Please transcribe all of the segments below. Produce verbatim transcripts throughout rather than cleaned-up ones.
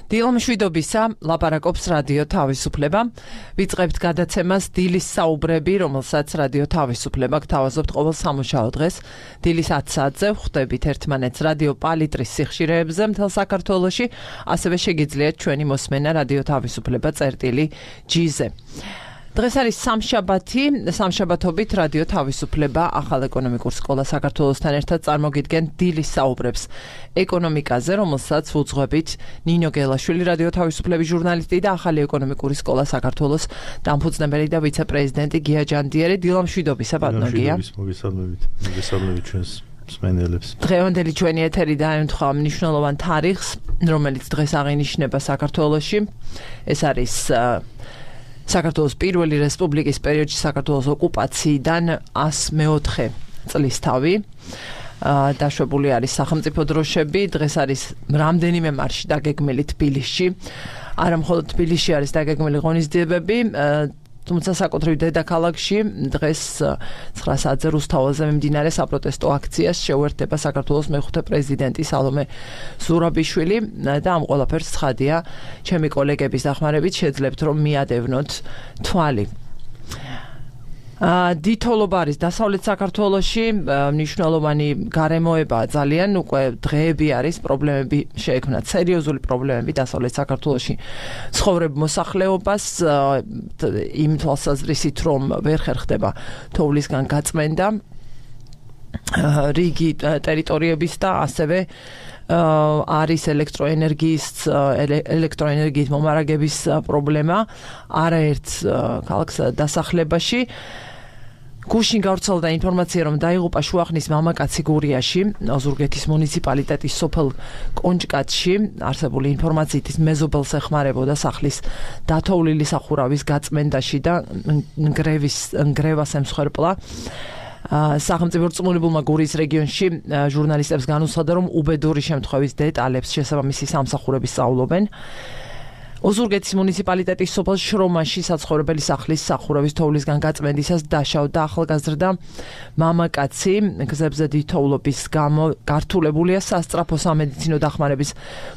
დილამშვიდობისა, ლაპარაკობს რადიო თავისუფლება. ვიწყებთ გადაცემას დილის საუბრები, რომელსაც რადიო თავისუფლება გთავაზობთ ყოველ სამუშაო დღეს. დილის ათ საათზე ვხვდებით ერთმანეთს რადიო პალიტრის სიხშირეებზე მთელ საქართველოში, ასევე შეგიძლიათ ჩვენი მოსმენა რადიო თავისუფლება წერტილი ჯი-ზე. დღეს არის სამშაბათი, სამშაბათობით რადიო თავისუფლება ახალ ეკონომიკურ სკოლა საქართველოსთან ერთად წარმოგიდგენ დილის საუბრებს ეკონომიკაზე, რომელსაც ვუძღვებით ნინო გელაშვილი, რადიო თავისუფლების ჟურნალისტი და ახალი ეკონომიკური სკოლა საქართველოს დამფუძნებელი და ვიცე-პრეზიდენტი გია ჯანდიერი. დილამშვიდობისა, ბატონო გია. მოგესალმებით, მოგესალმებით ჩვენს მსმენელებს. დღევანდელი ჩვენი ეთერი დაემთხვა მნიშვნელოვან თარიღს, რომელიც დღეს აღინიშნება საქართველოში. ეს არის საქართველოს პირველი რესპუბლიკის პერიოდში საქართველოს ოკუპაციიდან ასი მეოთხე წლისთავი. დაშვებული არის სახელმწიფო დროშები, დღეს არის რამდენიმე მარში დაგეგმილი თბილისში. არა მხოლოდ თბილისში არის დაგეგმილი ღონისძიებები, თუმცა საკუთრივ დედაქალაქში დღეს ცხრა საათზე რუსთაველზე მიმდინარე საპროტესტო აქციას შეუერთდება საქართველოს მეხუთე პრეზიდენტი სალომე ზურაბიშვილი და ამ ყველაფერს ცხადია ჩემი კოლეგების დახმარებით შეძლებთ რომ მიადევნოთ თვალი. დითოლობა არის დასავლეთ საქართველოში, მნიშვნელოვანი გარემოება ძალიან, უკვე დღეები არის, პრობლემები შეექმნათ, სერიოზული პრობლემები დასავლეთ საქართველოში ცხოვრებ მოსახლეობას, იმ თვალსაზრისით, რომ ვერ ხერხდება თოვლისგან გაწმენდა რიგი ტერიტორიების და ასევე არის ელექტროენერგიის ელექტროენერგიის მომარაგების პრობლემა არაერთ ქალაქს დასახლებაში. გუშინ გავრცელდა ინფორმაცია, რომ დაიღუპა შუახნის მამაკაცი გურიაში, ოზურგეთის მუნიციპალიტეტის სოფელ კონჭკატში. არსებული ინფორმაციით ის მეზობელს ეხმარებოდა სახლის დათოვლილი სახურავის გაწმენდაში და ნგრევის ნგრევას ემსხვერპლა. სახელმწიფო რწმუნებულმა გურიის რეგიონში ჟურნალისტებს განუცხადა, რომ უბედური შემთხვევის დეტალებს შესაბამისი სამსახურები სწავლობენ. ოზურგეთის მუნიციპალიტეტის სოფელ შრომაში საცხოვრებელი სახლის სახურავის თოვლისგან გაწმენდისას დაშავდა ახალგაზრდა მამაკაცი. გზებზე დითოვლობის გამო გართულებულია სასწრაფო სამედიცინო დახმარების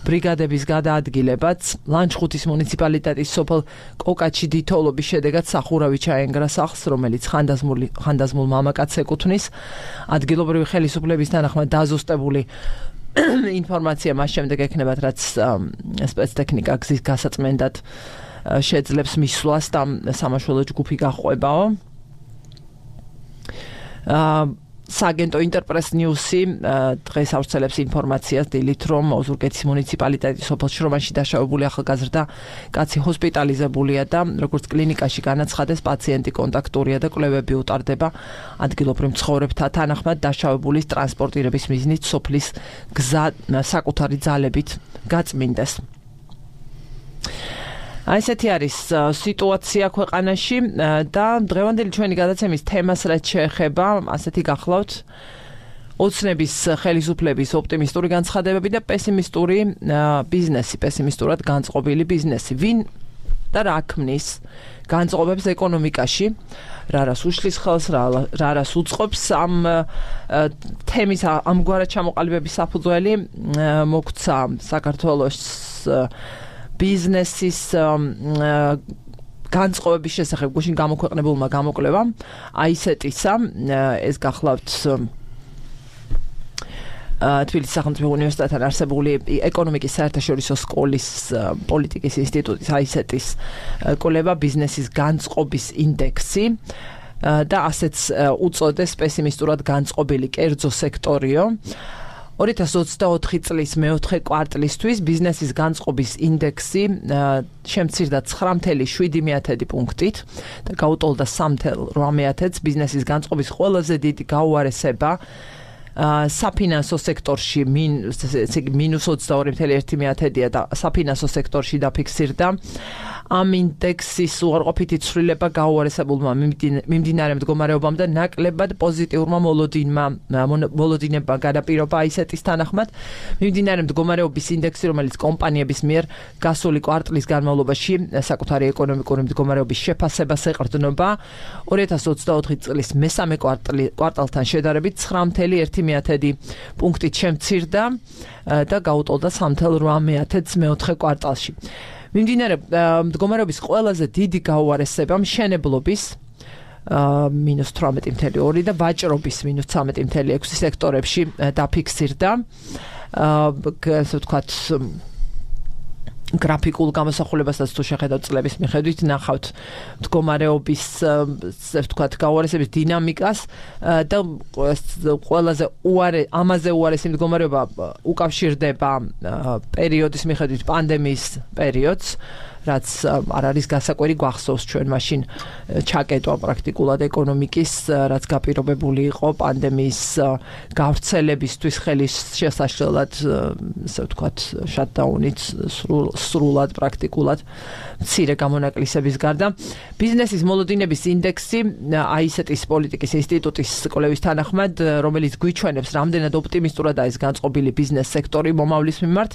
ბრიგადების გადაადგილებაც. ლანჩხუთის მუნიციპალიტეტის სოფელ კოკაჩი დითოვლობის შედეგად სახურავი ჩაენგრა სახლს, რომელიც ხანდაზმული ხანდაზმულ მამაკაცს ეკუთვნის. ადგილობრივი ხელისუფლების თანახმად დაზუსტებული ინფორმაცია მას შემდეგ ექნებათ, რაც სპეცტექნიკა გზის გასაწმენდად შეძლებს მისვლას და სამაშველო ჯგუფი გაჰყვებაო. სააგენტო ინტერპრეს ნიუსი დღეს ავრცელებს ინფორმაციას დილით, რომ ოზურგეთის მუნიციპალიტეტის სოფელ შრომაში დაშავებული ახალგაზრდა კაცი ჰოსპიტალიზებულია და როგორც კლინიკაში განაცხადეს, პაციენტი კონტაქტურია და კვლევები უტარდება. ადგილობრივ მცხოვრებთა თანახმად დაშავებულის ტრანსპორტირების მიზნით სოფლის გზა საკუთარი ძალებით გაწმინდეს. აი ესეთი არის სიტუაცია ქვეყანაში და დღევანდელი ჩვენი გადაცემის თემას რაც შეეხება, ასეთი გახლავთ ოცნების ხელისუფლების ოპტიმისტური განცხადებები და პესიმისტური ბიზნესი, პესიმისტურად განწყობილი ბიზნესი. ვინ და რა ქმნის განწყობებს ეკონომიკაში, რა რას უშლის ხელს, რა რას უწყობს ამ თემის ამგვარად ჩამოყალიბების საფუძველი მოგვცა საქართველოს ბიზნესის განწყობების შესახებ გუშინ გამოქვეყნებულმა გამოკვლევამ. აი ესეთისა, ეს გახლავთ თბილისის სახელმწიფო უნივერსიტეტთან არსებული ეკონომიკის საერთაშორისო სკოლის პოლიტიკის ინსტიტუტის აი ესეთის კვლევა ბიზნესის განწყობის ინდექსი და ასეც უწოდეს პესიმისტურად განწყობილი კერძო სექტორიო. ორი ათას ოცდაოთხი წლის მეოთხე კვარტლისთვის ბიზნესის განწყობის ინდექსი შემცირდა ცხრა ათეული შვიდი პუნქტით და გაუტოლდა სამი ათეული რვა ბიზნესის განწყობის ყველაზე დიდი გაუარესება საფინანსო სექტორში მინუს ოცდაორი ათეული და საფინანსო სექტორში დაფიქსირდა. ამ ინდექსის უარყოფითი ცვლილება გაუარესებულმა მიმდინარე მდგომარეობამ და ნაკლებად პოზიტიურმა მოლოდინმა მოლოდინებმა განაპირობა ისეთის თანახმად მიმდინარე მდგომარეობის ინდექსი, რომელიც კომპანიების მიერ გასული კვარტლის განმავლობაში საკუთარი ეკონომიკური მდგომარეობის შეფასებას ეყრდნობა, ორი ათას ოცდაოთხი წლის მესამე კვარტალთან შედარებით ცხრა ათეული მეათედი პუნქტით შემცირდა და გაუტოლდა სამი ათეული ოთხ მეოთხე კვარტალში. მიმდინარე მდგომარეობის ყველაზე დიდი გაუარესება მშენებლობის მინუს თვრამეტი ათეული ორი და ვაჭრობის მინუს ცხრამეტი ათეული ექვსი სექტორებში დაფიქსირდა. ასე ვთქვათ, გრაფიკულ გამოსახულებასაც თუ შეხედავთ წლების მიხედვით, ნახავთ მდგომარეობის, ასე ვთქვათ, გაუარესების დინამიკას და ყველაზე უარე ამაზე უარესი მდგომარეობა უკავშირდება პერიოდის მიხედვით პანდემიის პერიოდს, რაც არ არის გასაკვირი, გვახსოვს ჩვენ მაშინ ჩაკეტვა პრაქტიკულად ეკონომიკის, რაც გაპირობებული იყო პანდემიის გავრცელებისთვის ხელის შესაშლელად, ასე ვთქვათ, შატდაუნით სრულად პრაქტიკულად მცირე გამონაკლისების გარდა. ბიზნესის მოლოდინების ინდექსი აისეტის პოლიტიკის ინსტიტუტის კვლევის თანახმად, რომელიც გვიჩვენებს, რამდენად ოპტიმისტურადაა ის განწყობილი ბიზნეს სექტორი მომავლის მიმართ,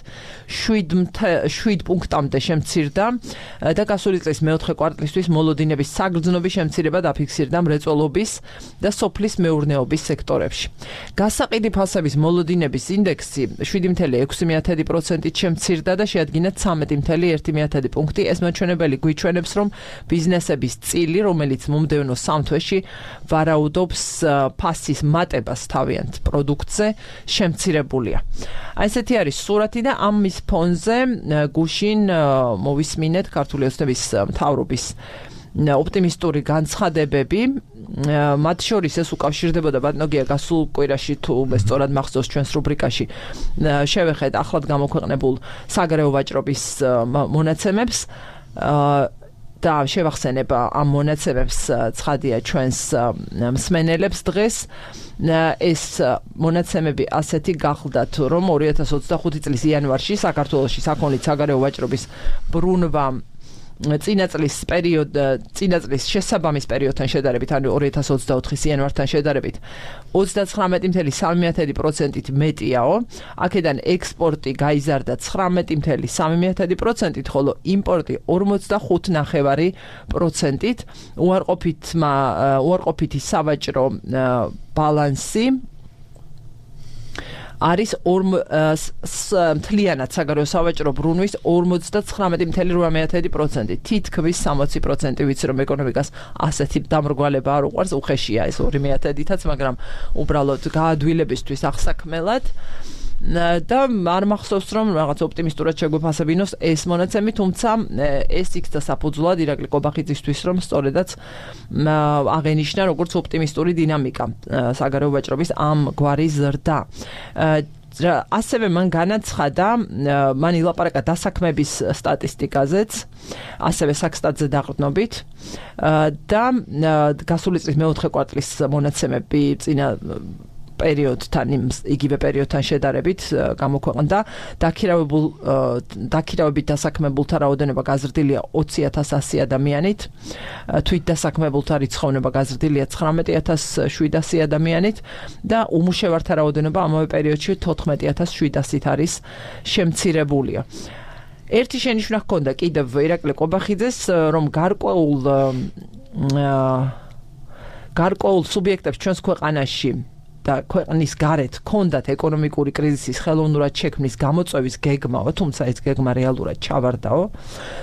შვიდ პუნქტამდე შემცირდა და გასული წლის მეოთხე კვარტლისთვის მოლოდინების საგრძნობი შემცირება დაფიქსირდა მრეწველობის და სოფლის მეურნეობის სექტორებში. გასაყიდი ფასების მოლოდინების ინდექსი შვიდი ათეული ექვსი პროცენტით შემცირდა და შეადგინა ცხრამეტი ათეული ერთი პუნქტი. ეს მაჩვენებელი გვიჩვენებს, რომ ბიზნესების წილი, რომელიც მომდევნო სამ თვეში ვარაუდობს ფასის მატებას თავიანთ პროდუქტზე, შემცირებულია. აი ესეთი არის სურათი და ამის ფონზე გუშინ მოვისმინეთ ქართული ოცნების მთავრობის ოპტიმისტური განცხადებები. მათ შორის ეს უკავშირდებოდა ბატონოგია გასულ კვირაში, თუ მე სწორად მახსოვს, ჩვენს რუბრიკაში შევეხეთ ახლად გამოქვეყნებულ საგარეო ვაჭრობის მონაცემებს და შევახსენებ ამ მონაცემებს ცხადია ჩვენს მსმენელებს დღეს. ეს მონაცემები ასეთი გახლდათ, რომ ორი ათას ოცდახუთი წლის იანვარში საქართველოში საქონლით საგარეო ვაჭრობის ბრუნვა წინა წლის პერიოდ წინა წლის შესაბამის პერიოდთან შედარებით, ანუ ორი ათას ოცდაოთხის იანვართან შედარებით ოცდაცხრამეტი ათეული სამი პროცენტით მეტიაო. აქედან ექსპორტი გაიზარდა ცხრამეტი ათეული სამი პროცენტით, ხოლო იმპორტი ორმოცდახუთი ნახევარი პროცენტით. უარყოფითმა უარყოფითი სავაჭრო ბალანსი არის მთლიანად საგარეო სავაჭრო ბრუნვის ორმოცდაცხრამეტი ათეული ორი პროცენტი. თითქმის სამოცი პროცენტი ვიცი, რომ ეკონომიკას ასეთი დამრგვალება არ უყვარს, უხეშია ეს ორი მეათედითაც, მაგრამ უბრალოდ გაადვილებისთვის აღსაქმელად და არ მახსოვს, რომ რაღაც ოპტიმისტურად შეგვეფასებინოს ეს მონაცემი, თუმცა ეს იქცა საფუძვლად ირაკლი კობახიძისთვის, რომ სწორედაც აღენიშნა როგორც ოპტიმისტური დინამიკა საგარეო ვაჭრობის ამ გვარი ზრდა. ასევე მან განაცხადა, მან ილაპარაკა დასაქმების სტატისტიკაზეც, ასევე საქსტატზე დაყრდნობით და გასული წლის მეოთხე კვარტლის მონაცემები წინა პერიოდთან, იგივე პერიოდთან შედარებით გამოქვეყნდა. დაქირავებულ დაქირავებით დასაქმებულთა რაოდენობა გაზრდილია ოცი ათას ასი ადამიანით, თვით დასაქმებულთა რიცხოვნება გაზრდილია ცხრამეტი ათას შვიდასი ადამიანით და უმუშევართა რაოდენობა ამავე პერიოდში თოთხმეტი ათას შვიდასით არის შემცირებულია. ერთი შენიშვნა ჰქონდა კიდევ ირაკლი კობახიძეს, რომ გარკვეულ გარკვეულ სუბიექტებს ჩვენს ქვეყანაში და ქვეყნის გარეთ ჰქონდათ ეკონომიკური კრიზისის ხელოვნურად შექმნის გამოწვევის გეგმაო, თუმცა ეს გეგმა რეალურად ჩავარდაო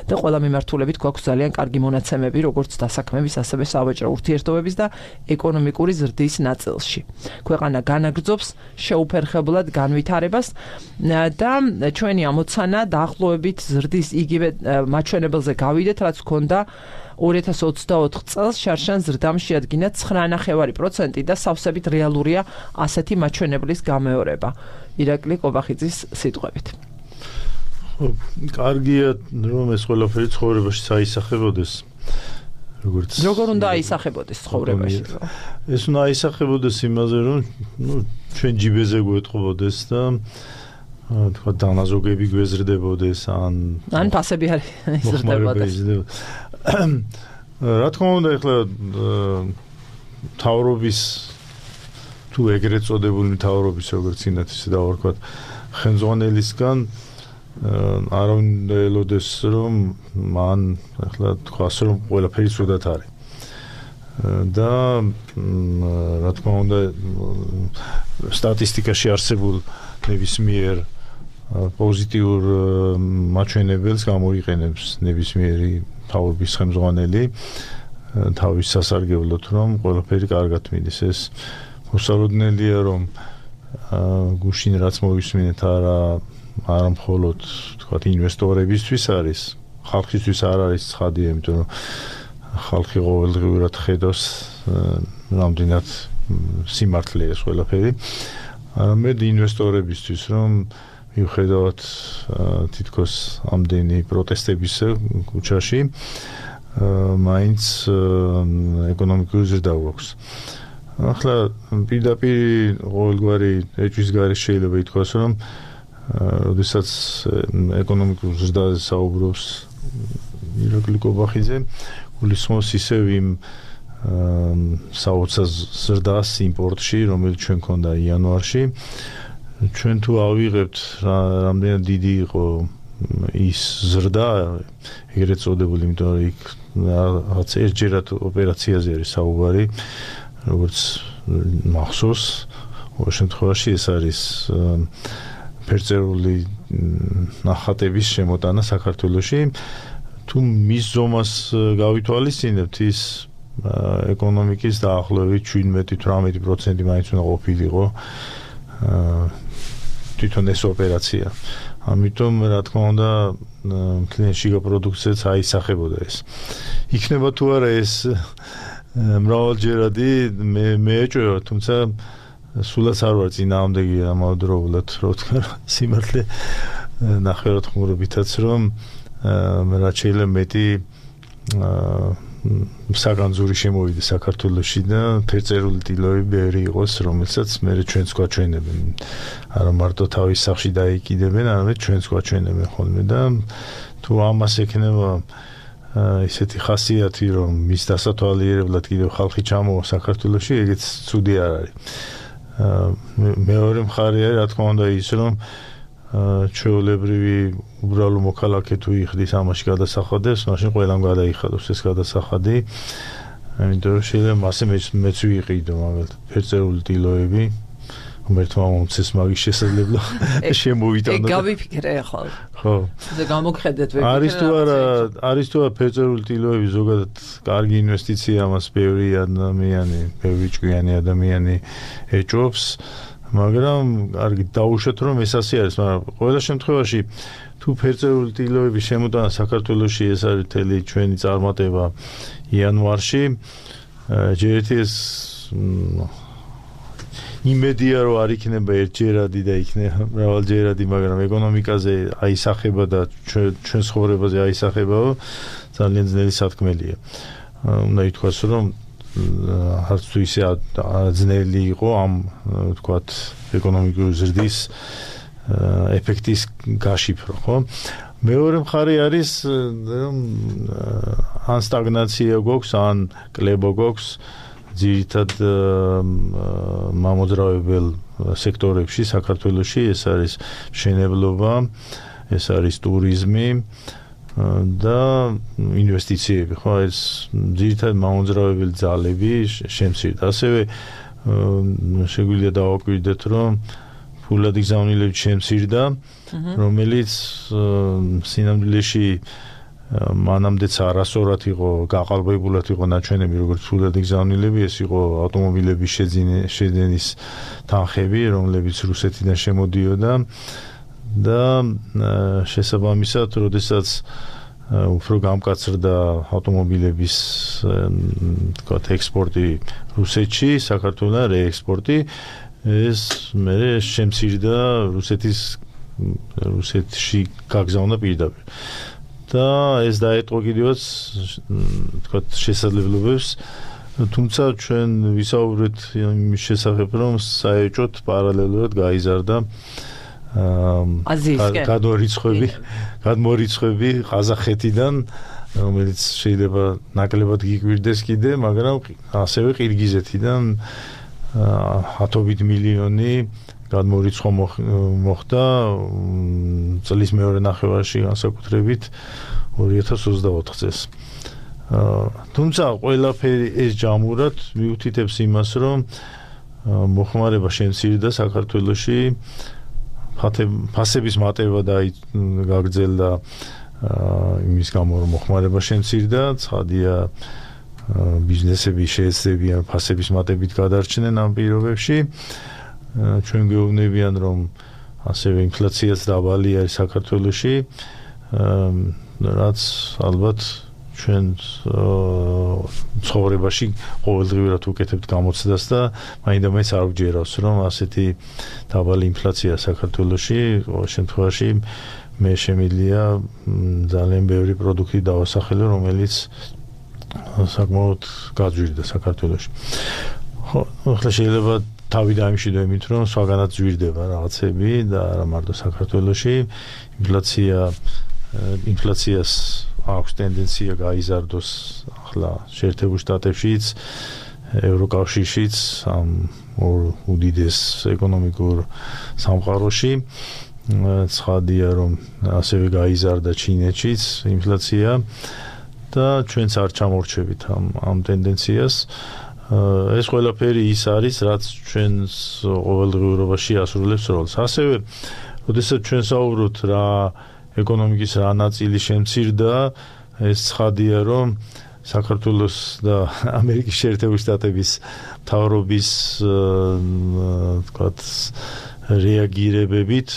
და ყველა მიმართულებით გვაქვს ძალიან კარგი მონაცემები, როგორც დასაქმების, ასევე სავაჭრო ურთიერთობების და ეკონომიკური ზრდის ნაწილში. ქვეყანა განაგრძობს შეუფერხებლად განვითარებას და ჩვენი ამოცანა დაახლოებით ზრდის იგივე მაჩვენებელზე გავიდეთ, რაც ჰქონდა ორი ათას ოცდაოთხ წელს შარშან ზრდამ შეადგინა ცხრა ნახევარი პროცენტი და სავსებით რეალურია ასეთი მაჩვენებლის გამეორება. ირაკლი კობახიძის სიტყვებით. ხო, კარგია, რომ ეს ყველაფერი ცხოვრებაში საისახებოდეს. როგორც როგორ უნდა აისახებოდეს ცხოვრებაში? ეს უნდა აისახებოდეს იმაზე, რომ ნუ ჩვენ ჯიბეზე გვეტყობოდეს და თქვა დანაზოგები გვეზრდებოდეს ან ან ფასები არ იზრდებოდეს. რა თქმა უნდა, ეხლა თავრობის თუ ეგრეთ წოდებული თავრობის როგორც ინათ ისე დავარქვათ ხელმძღვანელისგან არავინ ელოდეს რომ მან ეხლა თქვას რომ ყველაფერი ცუდად არის. და რა თქმა უნდა სტატისტიკაში არსებულ ნებისმიერ პოზიტიურ მაჩვენებელს გამოიყენებს ნებისმიერი თავრობის ხელმძღვანელი თავის სასარგებლოდ რომ ყველაფერი კარგად მიდის. ეს მოსალოდნელია რომ გუშინ რაც მოვისმინეთ არა არა მხოლოდ თქვათ ინვესტორებისთვის არის ხალხისთვის არ არის ცხადია იმიტომ რომ ხალხი ყოველდღიურად ხედავს რამდენად სიმართლეა ეს ყველაფერი არამედ ინვესტორებისთვის რომ მიუხედავად თითქოს ამდენი პროტესტებისა ქუჩაში მაინც ეკონომიკური ზრდა გვაქვს. ახლა პირდაპირ ყოველგვარი ეჭვის გარეშე შეიძლება ითქვას რომ როდესაც ეკონომიკურ ზრდაზე საუბრობს ირაკლი კობახიძე გულისხმობს ისევ იმ საოცარ ზრდას იმპორტში რომელიც ჩვენ ქონდა იანვარში ჩვენ თუ ავიღებთ რამდენად დიდი იყო ის ზრდა ეგრეთ წოდებული იმიტომ რომ იქ რაღაც ერთჯერად ოპერაციაზე არის საუბარი როგორც მახსოვს ყოველ შემთხვევაში ეს არის ფერწერული ნახატების შემოტანა საქართველოში თუ მის ზომას გავითვალისწინებთ ის ეკონომიკის დაახლოებით შვიდმეტი თვრამეტი პროცენტი მაინც უნდა ყოფილიყო თვითონ ეს ოპერაცია. ამიტომ რა თქმა უნდა კლინში პროდუქციაც აისახებოდა ეს. იქნება თუ არა ეს მრავალჯერადი მე მეეჭვევა თუმცა სულაც არ ვარ წინააღმდეგი ამავდროულად რო ვთქვა სიმართლე ნახევრად ხმურობითაც რომ რაც შეიძლება მეტი საგანძური შემოვიდა საქართველოში და ფერწერული ტილოები ბევრი იყოს რომელსაც მე ჩვენც გვაჩვენებენ არა მარტო თავის სახში დაიკიდებენ არამედ ჩვენც გვაჩვენებენ ხოლმე და თუ ამას ექნება ისეთი ხასიათი რომ მის დასათვალიერებლად კიდევ ხალხი ჩამოვა საქართველოში ეგეც ცუდი არ არის. მეორე მხარე არის რა თქმა უნდა ის რომ ჩვეულებრივი უბრალო მოქალაქე თუ იხდის ამაში გადასახადებს მაშინ ყველამ გადაიხადოს ეს გადასახადი იმიტომ რომ შეიძლება მასე მეც ვიყიდო მაგალითად ფერწერული ტილოები ღმერთმა მომცეს მაგის შესაძლებლობა შემოვიტანო. ეგ გავიფიქრე ახლა. ხო. და გამოგხედეთ ვეფიქრე. არის თუ არა, არის თუ არა ფერწერული ტილოები ზოგადად კარგი ინვესტიცია ამას ბევრი ადამიანი, ბევრი ჭკვიანი ადამიანი ეჭვობს, მაგრამ კარგი დაუშვათ რომ ეს ასე არის, მაგრამ ყველა შემთხვევაში თუ ფერწერული ტილოების შემოტანა საქართველოში ეს არის მთელი ჩვენი წარმატება იანვარში, ჯერეთი ეს იმედია რომ არ იქნება ერთჯერადი და იქნება მრავალჯერადი, მაგრამ ეკონომიკაზე აისახება და ჩვენ ცხოვრებაზე აისახებაო ძალიან ძნელი სათქმელია. უნდა ითქვას რომ არც თუ ისე ძნელი იყო ამ ვთქვათ ეკონომიკური ზრდის ეფექტის გაშიფრო, ხო? მეორე მხარე არის რომ ან სტაგნაცია გვაქვს, ან კლებო გვაქვს ძირითად მამოძრავებელ სექტორებში საქართველოში ეს არის მშენებლობა, ეს არის ტურიზმი და ინვესტიციები, ხო, ეს ძირითად მამოძრავებელი ძალები შემცირდა. ასევე შეგვიძლია დავაკვირდეთ, რომ ფულადი გზავნილები შემცირდა, რომელიც სინამდვილეში მანამდეც არასწორად იყო გაყალბებულად იყო ნაჩვენები როგორც ფულადი გზავნილები, ეს იყო ავტომობილების შეძენის თანხები, რომლებიც რუსეთიდან შემოდიოდა და შესაბამისად, როდესაც უფრო გამკაცრდა ავტომობილების თქვათ ექსპორტი რუსეთში, საქართველოს რეექსპორტი, ეს მე შემცირდა რუსეთის რუსეთში გაგზავნა პირდაპირ. და ეს დაეტყო კიდევაც თქვათ შესაძლებლობებს, თუმცა ჩვენ ვისაუბრეთ იმის შესახებ, რომ საერთოდ პარალელურად გაიზარდა აზიისკენ გადმორიცხვები გადმორიცხვები ყაზახეთიდან რომელიც შეიძლება ნაკლებად გიგვირდეს კიდე მაგრამ ასევე ყირგიზეთიდან ათობით მილიონი გადმორიცხვა მოხდა წლის მეორე ნახევარში განსაკუთრებით ორი ათას ოცდაოთხ წელს. თუმცა ყველაფერი ეს ჯამურად მიუთითებს იმას რომ მოხმარება შემცირდა საქართველოში ფასების მატება და გაგრძელდა იმის გამო რომ მოხმარება შემცირდა ცხადია ბიზნესები შეეცდებიან ფასების მატებით გადარჩნენ ამ პირობებში ჩვენ გვეუბნებიან რომ ასევე ინფლაციაც დაბალი არის საქართველოში რაც ალბათ ჩვენ ცხოვრებაში ყოველდღიურად უკეთებთ გამოცდას და მაინდა-მაინც არ გვჯერავს რომ ასეთი დაბალი ინფლაცია საქართველოში ყოველ შემთხვევაში მე შემიძლია ძალიან ბევრი პროდუქტი დავასახელო რომელიც საკმაოდ გაძვირდა საქართველოში. ხო, ახლა შეიძლება თავი დაიმშვიდო იმით რომ სხვაგანაც ძვირდება რაღაცები და არა მარტო საქართველოში ინფლაცია ინფლაციას აქვს ტენდენცია გაიზარდოს ახლა შეერთებულ შტატებშიც ევროკავშირშიც ამ უდიდეს ეკონომიკურ სამყაროში ცხადია რომ ასევე გაიზარდა ჩინეთშიც ინფლაცია და ჩვენც არ ჩამორჩებით ამ ამ ტენდენციას ეს ყველაფერი ის არის რაც ჩვენს ყოველდღიურობაში ასრულებს როლს ასევე როდესაც ჩვენ საუბრობთ რა ეკონომიკის რა ნაწილი შემცირდა ეს ცხადია რომ საქართველოს და ამერიკის შეერთებული შტატების მთავრობის თქვათ რეაგირებებით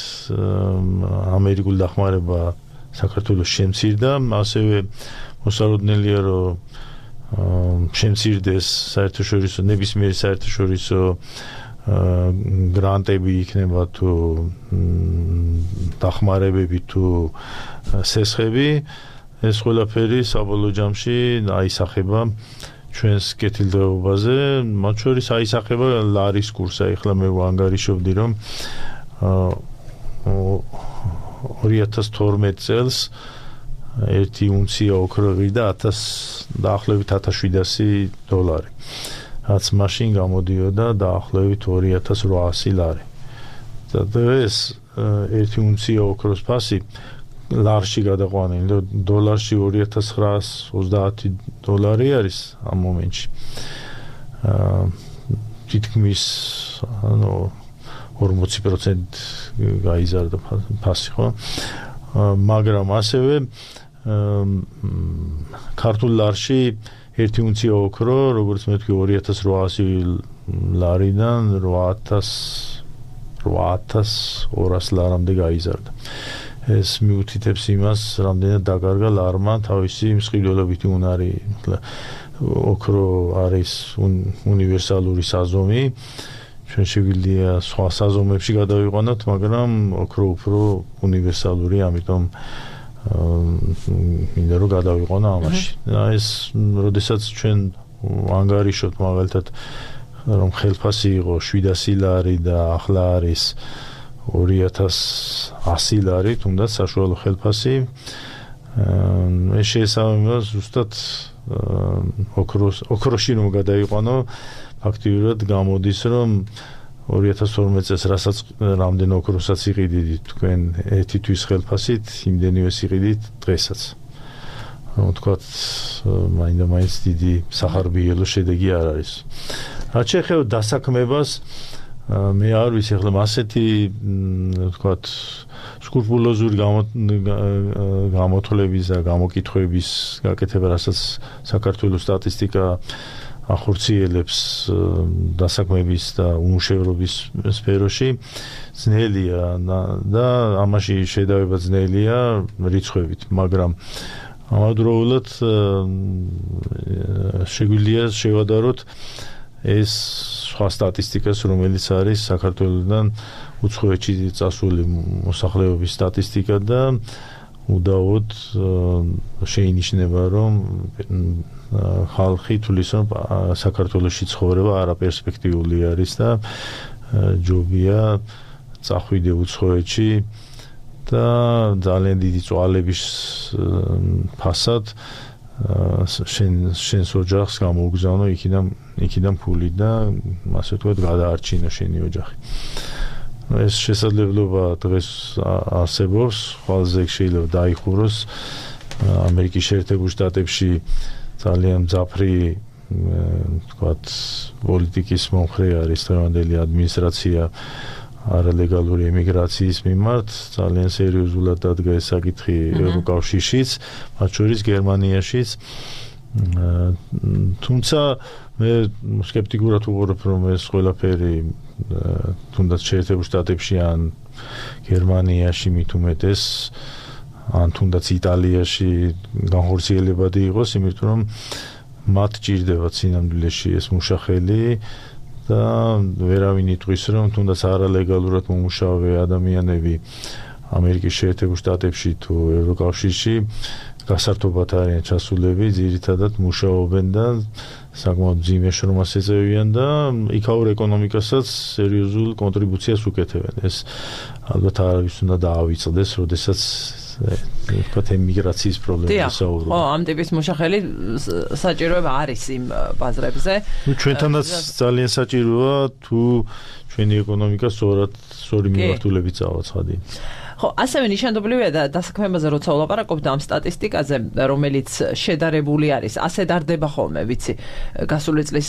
ამერიკული დახმარება საქართველოს შემცირდა ასევე მოსალოდნელია რომ შემცირდეს საერთაშორისო ნებისმიერი საერთაშორისო გრანტები იქნება თუ დახმარებები თუ სესხები ეს ყველაფერი საბოლოო ჯამში აისახება ჩვენს კეთილდღეობაზე მათ შორის აისახება ლარის კურსი ახლა მე ვანგარიშობდი რომ ორი ათას თორმეტ წელს ერთი უნცია ოქრო ღირდა ათას დაახლოებით ათას შვიდასი დოლარი რაც მაშინ გამოდიოდა დაახლოებით ორი ათას რვაასი ლარი და დღეს ერთი უნცია ოქროს ფასი ლარში გადაყვანილი და დოლარში ორი ათას ცხრაას ოცდაათი დოლარი არის ამ მომენტში თითქმის ანუ ორმოცი პროცენტი გაიზარდა ფასი ხო მაგრამ ასევე ქართულ ლარში ერთი უნცია ოქრო როგორც მეთქი ორი ათას რვაასი ლარიდან რვა ათას ორას ლარამდე გაიზარდა ეს მიუთითებს იმას რამდენად დაკარგა ლარმა თავისი მსყიდველობითი უნარი ოქრო არის უნივერსალური საზომი ჩვენ შეგვიძლია სხვა საზომებში გადავიყვანოთ მაგრამ ოქრო უფრო უნივერსალური ამიტომ მინდა რომ გადავიყვანო ამაში ეს როდესაც ჩვენ ანგარიშობთ მაგალითად რომ ხელფასი იყო შვიდასი ლარი და ახლა არის ორი ათას ასი ლარი თუნდაც საშუალო ხელფასი ეს შეესაბამება ზუსტად ოქროს ოქროში რომ გადავიყვანო ფაქტიურად გამოდის რომ ორი ათას თორმეტ წელს რასაც რამდენ ოქროსაც იყიდით თქვენ ერთი თვის ხელფასით იმდენივე იყიდით დღესაც რომ თქვათ მაინდა-მაინც დიდი სახარბიელო შედეგი არ არის რაც შეეხება დასაქმებას მე არ ვიცი ახლა ასეთი თქვათ სკრუპულოზური გამოთვლების და გამოკითხვების გაკეთება რასაც საქართველოს სტატისტიკა ახორციელებს დასაქმების და უმუშევრობის სფეროში ძნელია და ამაში შედავება ძნელია რიცხვებით მაგრამ ამავდროულად შეგვიძლია შევადაროთ ეს სხვა სტატისტიკას რომელიც არის საქართველოსთან უცხოეთში წასული მოსახლეობის სტატისტიკა და უდაოდ შეინიშნება რომ ხალხი თulis რომ საქართველოში ცხოვრება არაპერსპექტიული არის და ჯობია წახვიდე უცხოეთში და ძალიან დიდი წვალების ფასად შენ შენს ოჯახს გამოგზავნო იქიდან იქიდან ფული და ასე ვთქვათ გადაარჩინო შენი ოჯახი. ეს შესაძლებლობა დღეს არსებობს, ყველაზე შეიძლება დაიხუროს ამერიკის შეერთებულ შტატებში ძალიან მძაფრი ვთქვათ პოლიტიკის მომხრე არის დღევანდელი ადმინისტრაცია არალეგალური ემიგრაციის მიმართ ძალიან სერიოზულად დადგა ეს საკითხი ევროკავშირშიც, მათ შორის გერმანიაშიც. თუმცა მე სკეპტიკურად ვუყურებ, რომ ეს ყველაფერი თუნდაც შეერთებულ შტატებში ან გერმანიაში მით უმეტეს ან თუნდაც იტალიაში განხორციელებადი იყოს, იმიტომ რომ მათ ჭირდებათ სინამდვილეში ეს მუშახელი და ვერავინ იტყვის, რომ თუნდაც არალეგალურად მომუშავე ადამიანები ამერიკის შეერთებულ შტატებში თუ ევროკავშირში გასართობად არიან ჩასულები, ძირითადად მუშაობენ და საკმაოდ მძიმე შრომას ეწევიან და იქაურ ეკონომიკასაც სერიოზულ კონტრიბუციას უკეთებენ. ეს ალბათ არავის უნდა დაავიწყდეს, როდესაც ვთქვათ ემიგრაციის პრობლემას საუბრობ. ხო, ამ ტიპის მუშახელი საჭიროება არის იმ ბაზრებზე. ნუ ჩვენთანაც ძალიან საჭიროა თუ ჩვენი ეკონომიკა სწორად სწორი მიმართულებით წავაცხადინ. ხო, ასევე ნიშანდობლივია და დასაქმებაზე როცა ვლაპარაკობთ ამ სტატისტიკაზე, რომელიც შედარებული არის, ასე დარდება ხოლმე, ვიცი, გასული წლის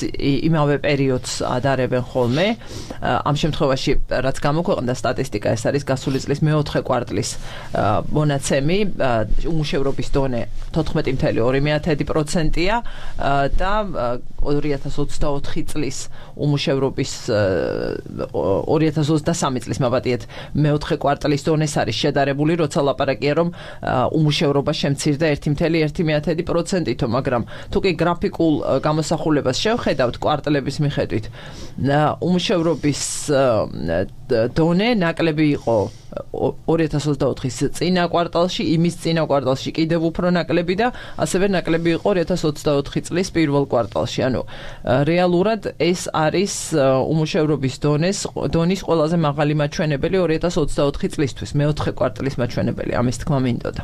იმავე პერიოდს ადარებენ ხოლმე. ამ შემთხვევაში, რაც გამოქვეყნდა სტატისტიკა, ეს არის გასული წლის მეოთხე კვარტლის მონაცემი, უმუშევრობის დონე თოთხმეტი კoma ორი პროცენტია და ორი ათას ოცდაოთხი წლის უმუშევრობის ორი ათას ოცდასამი წლის მოვატიეთ მეოთხე კვარტლის დონეს არის შედარებული, როცა ლაპარაკია, რომ უმუშევრობა შემცირდა ერთი კoma ერთი პროცენტითო, მაგრამ თუ კი გრაფიკულ გამოსახულებას შევხედავთ კვარტლების მიხედვით, უმუშევრობის დონე ნაკლები იყო ორი ათას ოცდაოთხის წინა კვარტალში, იმის წინა კვარტალში კიდევ უფრო ნაკლები და ასევე ნაკლები იყო ორი ათას ოცდაოთხი წლის პირველ კვარტალში. ანუ რეალურად ეს არის უმუშევრობის დონეს დონის ყველაზე მაღალი მაჩვენებელი ორი ათას ოცდაოთხი წლისთვის, მეოთხე კვარტლის მაჩვენებელი, ამის თქმა მინდოდა.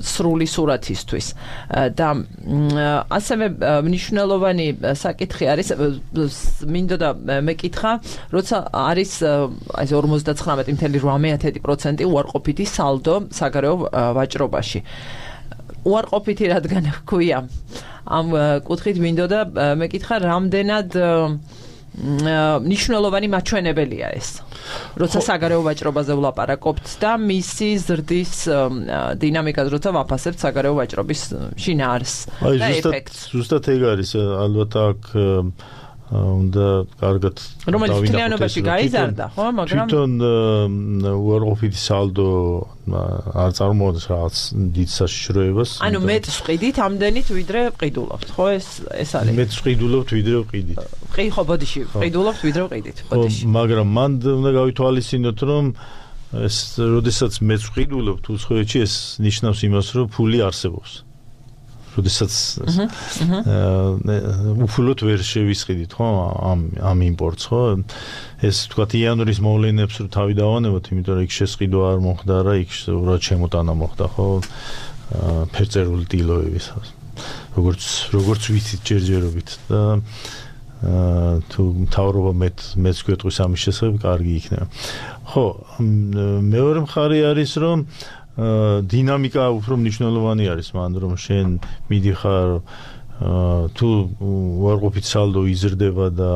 სრული სურათისთვის. და ასევე მნიშვნელოვანი საკითხი არის, მინდოდა მეკითხა, როცა არის აი ორმოცდათხრამეტი კoma რვა პროცენტი უარყოფითი სალდო საგარეო ვაჭრობაში. უარყოფითი რადგან ჰქვია ამ კუთხით მინდოდა მეკითხა, რამდენად მნიშვნელოვანი მაჩვენებელია ეს. როცა საგარეო ვაჭრობაზე ვლაპარაკობთ და მისი ზრდის დინამიკას როცა ვაფასებთ საგარეო ვაჭრობის შინაარსს და ეფექტს. ზუსტად ეგ არის, ალბათ აქ უნდა კარგად რომელიც მთლიანობაში გაიზარდა, ხო, მაგრამ თვითონ უარყოფითი სალდო არ წარმოადგენს რაღაც დიდ საშიშროებას. ანუ მეტს ვყიდით ამდენით ვიდრე ვყიდულობთ, ხო, ეს ეს არის. მეტს ვყიდულობთ ვიდრე ვყიდით. ყი ხო, ბოდიში ვყიდულობთ ვიდრე ვყიდით, ბოდიში. მაგრამ მან უნდა გავითვალისწინოთ, რომ ეს როდესაც მეტს ვყიდულობთ უცხოეთში, ეს ნიშნავს იმას, რომ ფული არსებობს. როდესაც უფულოდ ვერ შევისყიდით, ხო, ამ ამ იმპორტს, ხო? ეს თქვათ იანვრის მოვლენებს რო თავი დავანებოთ, იმიტომ რომ იქ შესყიდვა არ მოხდა რა, იქ უბრალოდ შემოტანა მოხდა, ხო? ფერწერული დილოების. როგორც როგორც ვიცით ჯერჯერობით და თუ მთავრობა მეტ მეც გვეტყვის ამის შესახებ, კარგი იქნება. ხო, მეორე მხარე არის, რომ დინამიკა უფრო მნიშვნელოვანი არის, მან რომ შენ მიდიხარ თუ უარყოფით სალდო იზრდება და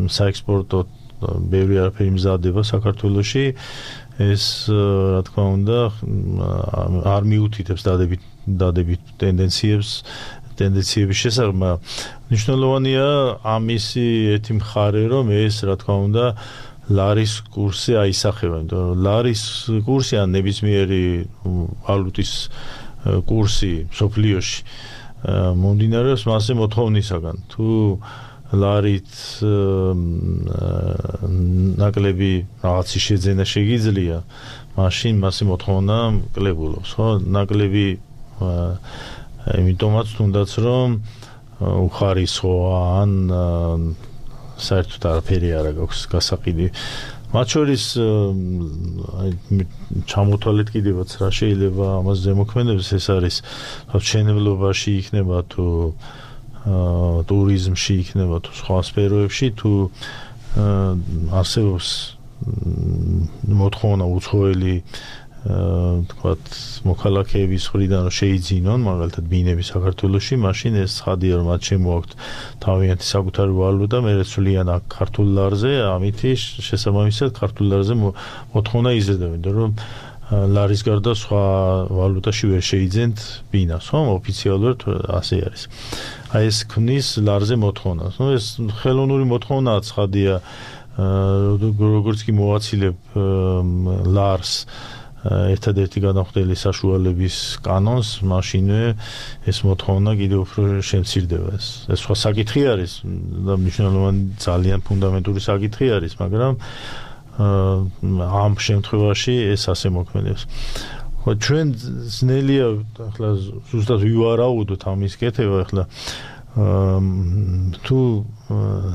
საექსპორტო ბევრი არაფერი მზადდება საქართველოში, ეს რა თქმა უნდა არ მიუთითებს დადებით დადებით ტენდენციებს ტენდენციების შესახებ. მნიშვნელოვანია ამისი ერთი მხარე, რომ ეს რა თქმა უნდა ლარის კურსი აისახება, იმიტომ რომ ლარის კურსი ან ნებისმიერი ვალუტის კურსი სოფლიოში მომდინარეობს მასზე მოთხოვნისაგან. თუ ლარით ნაკლები რაღაცის შეძენა შეგიძლია, მაშინ მასზე მოთხოვნა კლებულობს, ხო? ნაკლები იმიტომაც თუნდაც რომ უხარისხოა ან საერთოდ არაფერი არ აქვს გასაყიდი მათ შორის ჩამოთვალეთ კიდევაც რა შეიძლება ამას ზემოქმედებს ეს არის მშენებლობაში იქნება თუ ტურიზმში იქნება თუ სხვა სფეროებში თუ არსებობს მოთხოვნა უცხოელი თქვათ მოქალაქეების მხრიდან რომ შეიძინონ მაგალითად ბინები საქართველოში მაშინ ეს ცხადია რომ მათ შემოაქვთ თავიანთი საკუთარი ვალუტა მე რეცვლიან აქ ქართულ ლარზე ამითი შესაბამისად ქართულ ლარზე მოთხოვნა იზრდება იმიტომ რომ ლარის გარდა სხვა ვალუტაში ვერ შეიძენთ ბინას ხო ოფიციალურად ასე არის აი ეს ქმნის ლარზე მოთხოვნას ნუ ეს ხელოვნური მოთხოვნაა ცხადია როგორც კი მოვაცილებ ლარს ერთადერთი განახდელი საშუალების კანონს მაშინვე ეს მოთხოვნა კიდევ უფრო შემცირდება ეს ეს სხვა საკითხი არის და მნიშვნელოვანი ძალიან ფუნდამენტური საკითხი არის მაგრამ ამ შემთხვევაში ეს ასე მოქმედებს ხო ჩვენ ძნელია ახლა ზუსტად ვივარაუდოთ ამის კეთება ახლა თუ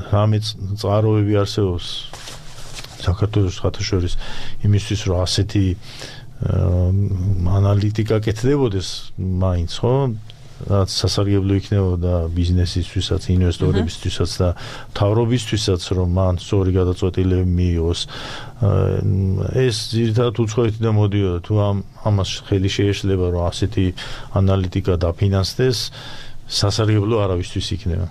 რამე წყაროები არსებობს საქართველოს ხათაშორის იმისთვის რომ ასეთი ანალიტიკა კეთდებოდეს მაინც ხო რაც სასარგებლო იქნებოდა ბიზნესისთვისაც ინვესტორებისთვისაც და მთავრობისთვისაც რომ მან სწორი გადაწყვეტილება მიიღოს ეს ძირითადად უცხოეთიდან მოდიოდა თუ ამ ამას ხელი შეეშლება რომ ასეთი ანალიტიკა დაფინანსდეს სასარგებლო არავისთვის იქნება.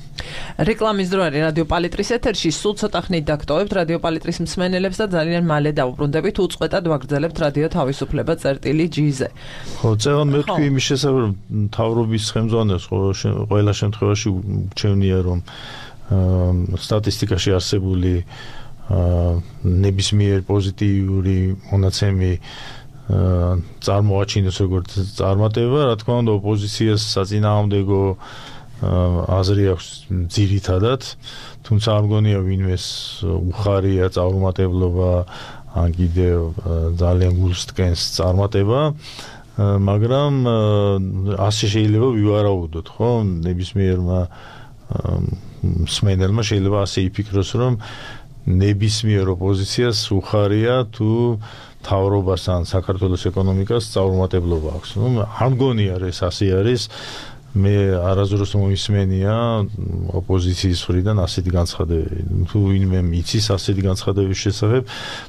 რეკლამის დრო არის რადიო პალიტრის ეთერში, სულ ცოტა ხნით დაგტოვებთ რადიო პალიტრის მსმენელებს და ძალიან მალე დავუბრუნდებით უწყვეტად ვაგრძელებთ რადიო თავისუფლება წერტილი ჯი-ზე. ხო, წევან მე თქვი იმის შესახებ რომ მთავრობის ხელმძღვანელს ყველა შემთხვევაში გრჩევნია რომ სტატისტიკაში არსებული ნებისმიერ პოზიტიური მონაცემი წარმოაჩინოს როგორც წარმატება, რა თქმა უნდა, ოპოზიციას საწინააღმდეგო აზრი აქვს ძირითადად, თუმცა არ მგონია ვინმეს უხარია წარუმატებლობა, ან კიდევ ძალიან გულს ткენს წარმატება, მაგრამ ასე შეიძლება ვივარაუდოთ, ხო? ნებისმიერმა მსმენელმა შეიძლება ასე იფიქროს, რომ ნებისმიერ ოპოზიციას უხარია თუ თავრობას ან საქართველოს ეკონომიკას წარუმატებლობა აქვს. ნუ არ მგონია ეს ასე არის. მე არასდროს მომისმენია ოპოზიციის მხრიდან ასეთი განცხადებები. თუ ვინმე იცის ასეთი განცხადების შესახებ,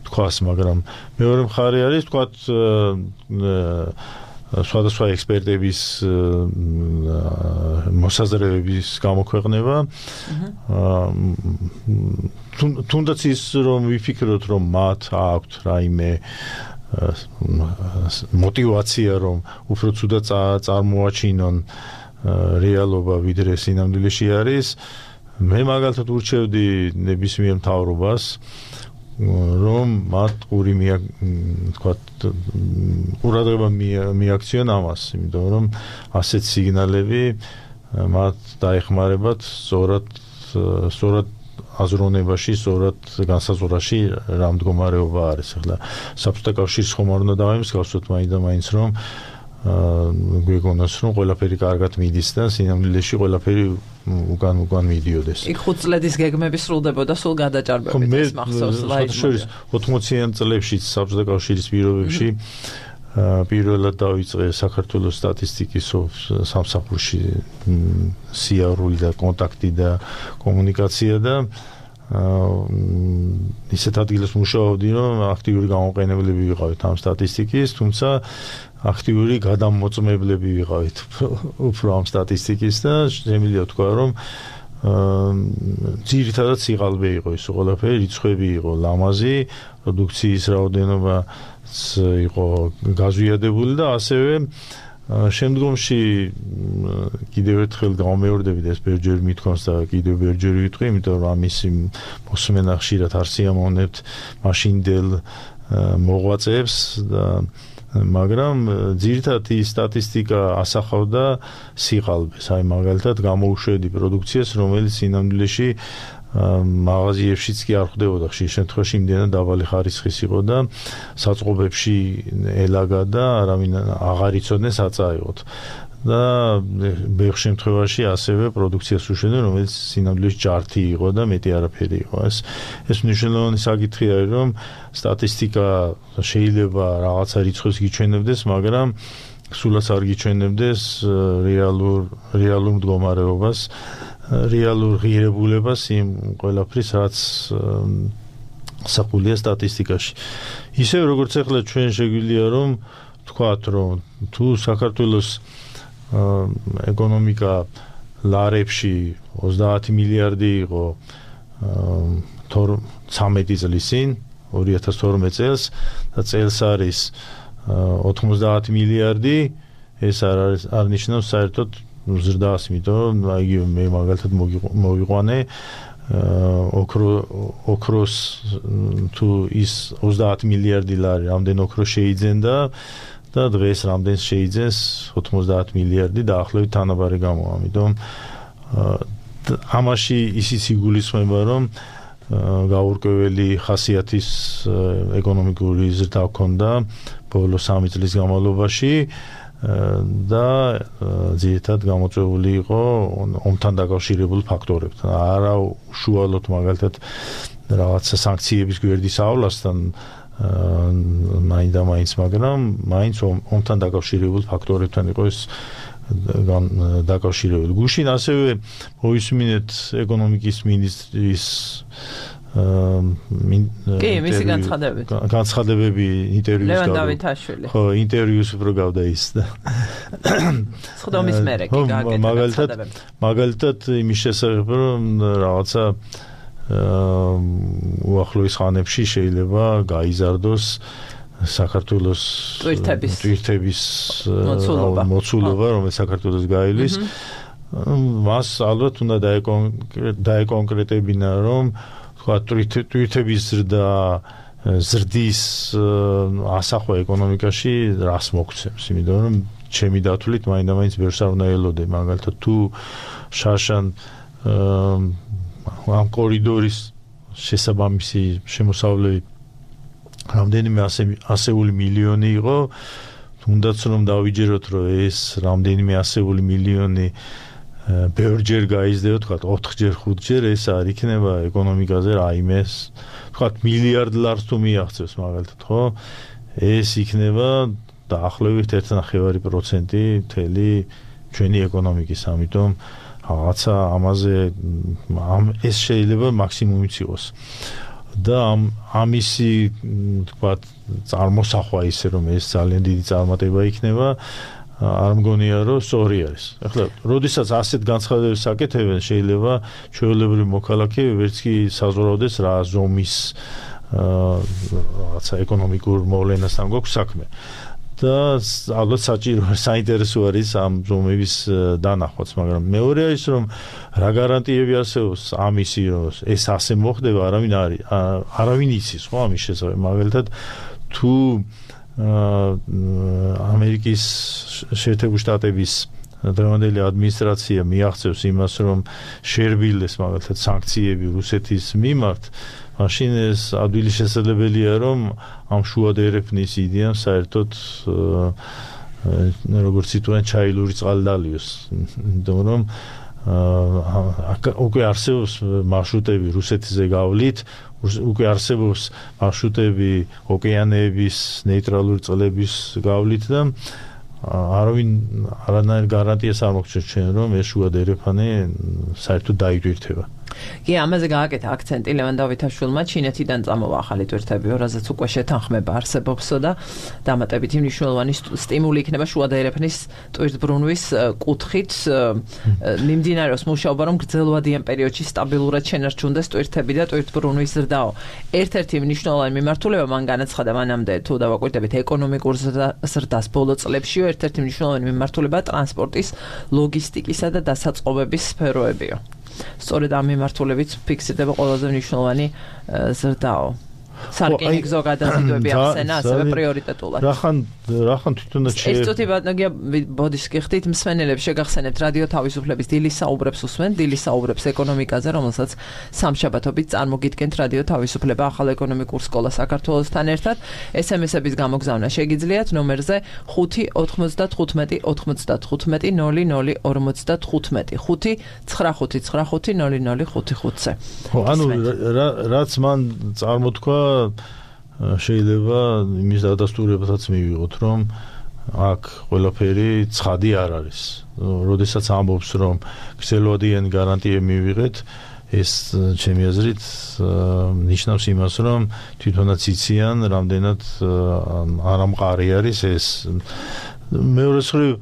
თქვას, მაგრამ მეორე მხარე არის, თქვათ სხვადასხვა ექსპერტების მოსაზრებების გამოქვეყნება. თუნდაც ის რომ ვიფიქროთ რომ მათ აქვთ რაიმე мотивация რომ უფრო ცუდად წარმოაჩინონ რეალობა ვიდრე სინამდვილეში არის მე მაგალითად ურჩევდი ნებისმიერ მთავრობას რომ მათ ყური მია თქვათ ყურადღება მიაქციონ ამას იმიტომ რომ ასეთ სიგნალები მათ დაეხმარებათ სწორად სწორად აზროვნებაში, სწორად განსაზღვრაში რა მდგომარეობა არის. ახლა საბჭოთა კავშირის ხომ არ უნდა დავიმსგავსოთ მაინც და მაინც რომ გვეგონოს რომ ყველაფერი კარგად მიდის და სინამდვილეში ყველაფერი უკან უკან მიდიოდეს. იქ ხუთ წლების გეგმები სრულდებოდა სულ გადაჭარბებით ეს მახსოვს ლაიჯ. ოცდაათიან წლებში საბჭოთა კავშირის პირობებში პირველად დაიწყე საქართველოს სტატისტიკის სამსახურში სიარული და კონტაქტი და კომუნიკაცია და ისეთ ადგილას მუშაობდი რომ აქტიური გამოყენებლები ვიყავით ამ სტატისტიკის, თუმცა აქტიური გადამოწმებლები ვიყავით უფრო ამ სტატისტიკის და შემიძლია თქვა რომ ძირითადად სიყალბე იყო ის ყველაფერი, რიცხვები იყო ლამაზი, პროდუქციის რაოდენობა იყო გაზვიადებული და ასევე შემდგომში კიდევ ერთხელ გამომეორდებით ეს ბერჯერ მithქვამს და კიდევ ბერჯერ ვიტყვი, იმიტომ რომ ამისი მოსმენა ხშირად არ სიამოვნებთ მაშინდელ მოღვაწეებს და მაგრამ ძირითადად ის სტატისტიკა ასახავდა სიყალბეს, აი მაგალითად გამოუშვედი პროდუქციას, რომელიც სინამდვილეში მაღაზიებშიც კი არ ხვდებოდა ხშირ შემთხვევაში იმდენად დაბალი ხარისხის იყო და საწყობებში ელაგა და არავინ აღარ იცოდნენ საწაეოდ და ბევრ შემთხვევაში ასევე პროდუქციას უშენდნენ, რომელიც სინამდვილეში ჯართი იყო და მეტი არაფერი იყო. ეს ეს მნიშვნელოვანი საკითხი არის, რომ სტატისტიკა შეიძლება რაღაცა რიცხვს გიჩვენებდეს, მაგრამ სულაც არ გიჩვენებდეს რეალურ რეალურ მდგომარეობას, რეალურ ღირებულებას იმ ყველაფრის, რაც საყულია სტატისტიკაში. ისე როგორც ახლა ჩვენ შეგვიძლია რომ თქვათ, რომ თუ საქართველოს ეკონომიკა ლარებში ოცდაათი მილიარდი იყო ცამეტი წლის წინ, ორი ათას თორმეტ წელს და წელს არის ოთხმოცდაათი მილიარდი, ეს არ არის არ ნიშნავს საერთოდ ზრდას, იმიტომ რომ აიგივე მე მაგალითად მოვიყვანე ოქრო ოქროს თუ ის ოცდაათი მილიარდი ლარი რამდენ ოქრო შეიძენდა და დღეს რამდენს შეიძენს ოთხმოცდაათი მილიარდი დაახლოებით თანაბარი გამოა. ამიტომ ამაში ისიც იგულისხმება, რომ გაურკვეველი ხასიათის ეკონომიკური ზრდა ჰქონდა ბოლო სამი წლის განმავლობაში და ძირითადად გამოწვეული იყო ომთან დაკავშირებულ ფაქტორებთან. არა უშუალოდ მაგალითად რაღაცა სანქციების გვერდისავლასთან მაინც და მაინც, მაგრამ მაინც ომთან დაკავშირებულ ფაქტორებთან იყო ეს დაკავშირებული. გუშინ ასევე მოვისმინეთ ეკონომიკის მინისტრის კი, მისი განცხადებები. განცხადებები ინტერვიუს ლევან დავითაშვილი. ხო, ინტერვიუს უფრო გავდა ის და სხდომის მერე კი გააკეთა განცხადებები. მაგალითად იმის შესახებ, რომ რაღაცა უახლოეს ხანებში შეიძლება გაიზარდოს საქართველოს ტვირთების მოცულობა, რომელიც საქართველოს გაივლის. მას ალბათ უნდა დაეკონკრეტებინა, რომ თქვა ტვირთების ზრდა ზრდის ასახვა ეკონომიკაში რას მოგცემს, იმიტომ რომ ჩემი დათვლით მაინდა-მაინც ბევრს არ უნდა ელოდე, მაგალითად თუ შარშან ამ კორიდორის შესაბამისი შემოსავლები რამდენიმე ასეული მილიონი იყო, თუნდაც რომ დავიჯეროთ, რომ ეს რამდენიმე ასეული მილიონი ბევრჯერ გაიზრდება, თქვათ ოთხჯერ, ხუთჯერ, ეს არ იქნება ეკონომიკაზე რაიმეს, თქვათ მილიარდ ლარს თუ მიაღწევს მაგალითად, ხო? ეს იქნება დაახლოებით ერთი ნახევარი პროცენტი მთელი ჩვენი ეკონომიკის, ამიტომ რაღაცა ამაზე ეს შეიძლება მაქსიმუმიც იყოს. და ამისი თქვათ წარმოსახვა ისე რომ ეს ძალიან დიდი წარმატება იქნება, არ მგონია რომ სწორი არის. ახლა როდესაც ასეთ განცხადებებს აკეთებენ, შეიძლება ჩვეულებრივი მოქალაქე ვერც კი საზღვრავდეს რა ზომის რაღაცა ეკონომიკურ მოვლენასთან გვაქვს საქმე. და ალბათ საჭირო საინტერესო არის ამ ზომების დანახვაც, მაგრამ მეორე არის რომ რა გარანტიები არსებობს ამისი, რომ ეს ასე მოხდება, არავინ არის არავინ იცის ხო ამის შესახებ. მაგალითად თუ ამერიკის შეერთებული შტატების დღევანდელი ადმინისტრაცია მიაღწევს იმას, რომ შერბილდეს მაგალითად სანქციები რუსეთის მიმართ, მაშინ ეს ადვილი შესაძლებელია, რომ ამ შუად ერეფნის იდეამ საერთოდ როგორც იტყვიან ჩაილური წყალი დალიოს, იმიტომ რომ უკვე არსებობს მარშრუტები რუსეთზე გავლით, უკვე არსებობს მარშრუტები ოკეანეების ნეიტრალური წყლების გავლით და არავინ არანაირ გარანტიას არ მოგცემს ჩვენ, რომ ეს შუად ერეფანი საერთოდ დაიტვირთება. კი, ამაზე გააკეთა აქცენტი ლევან დავითაშვილმა, ჩინეთიდან წამოვა ახალი ტვირთები, რაზეც უკვე შეთანხმება არსებობსო და დამატებითი მნიშვნელოვანი სტიმული იქნება შუად ერეფნის ტვირთბრუნვის კუთხით. მიმდინარეობს მუშაობა, რომ გრძელვადიან პერიოდში სტაბილურად შენარჩუნდეს ტვირთები და ტვირთბრუნვის ზრდაო. ერთ-ერთი მნიშვნელოვანი მიმართულება მან განაცხადა მანამდე, თუ დავაკვირდებით ეკონომიკურ ზრდას ბოლო წლებშიო, ერთ-ერთი მნიშვნელოვანი მიმართულება ტრანსპორტის, ლოგისტიკისა და დასაწყობების სფეროებიო. სწორედ ამ მიმართულებით ფიქსირდება ყველაზე მნიშვნელოვანი ზრდაო. სარკინიგზო გადაზიდვები ახსენა ასევე პრიორიტეტულად. რახან რახან თვითონაც შე ეს წუთი ბატონია ბოდიშს გიხდით მსმენელებს შეგახსენებთ რადიო თავისუფლების დილის საუბრებს უსმენ დილის საუბრებს ეკონომიკაზე რომელსაც სამშაბათობით წარმოგიდგენთ რადიო თავისუფლება ახალ ეკონომიკურ სკოლა საქართველოსთან ერთად ეს ემ ეს-ების გამოგზავნა შეგიძლიათ ნომერზე ხუთი ოცდათხუთმეტი ოცდათხუთმეტი ნული ნული ორმოცდათხუთმეტი ხუთი ცხრა ხუთი ცხრა ხუთი ნული ნული ხუთი ხუთზე. ხო ანუ რაც მან წარმოთქვა შეიძლება იმის დადასტურებასაც მივიღოთ რომ აქ ყველაფერი ცხადი არ არის. როდესაც ამბობს რომ გრძელვადიანი გარანტიები მივიღეთ ეს ჩემი აზრით ნიშნავს იმას რომ თვითონაც იციან რამდენად არამყარი არის ეს მეორე მხრივ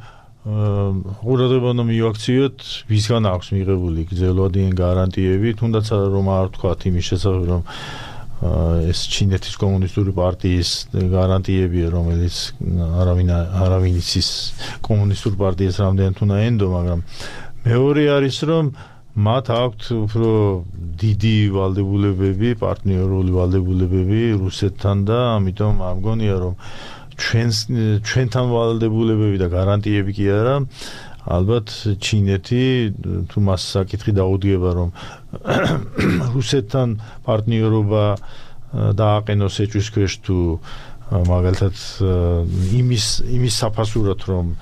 ყურადღება უნდა მივაქციოთ ვისგან აქვს მიღებული გრძელვადიანი გარანტიები თუნდაც რომ არ ვთქვათ იმის შესახებ რომ ეს ჩინეთის კომუნისტური პარტიის გარანტიებია რომელიც არავინ არავინ იცის კომუნისტურ პარტიას რამდენად უნდა ენდო მაგრამ მეორე არის რომ მათ აქვთ უფრო დიდი ვალდებულებები პარტნიორული ვალდებულებები რუსეთთან და ამიტომ არ მგონია რომ ჩვენ ჩვენთან ვალდებულებები და გარანტიები კი არა ალბათ ჩინეთი თუ მას საკითხი დაუდგება რომ რუსეთთან პარტნიორობა დააყენოს ეჭვის ქვეშ თუ მაგალითად იმის იმის საფასურად რომ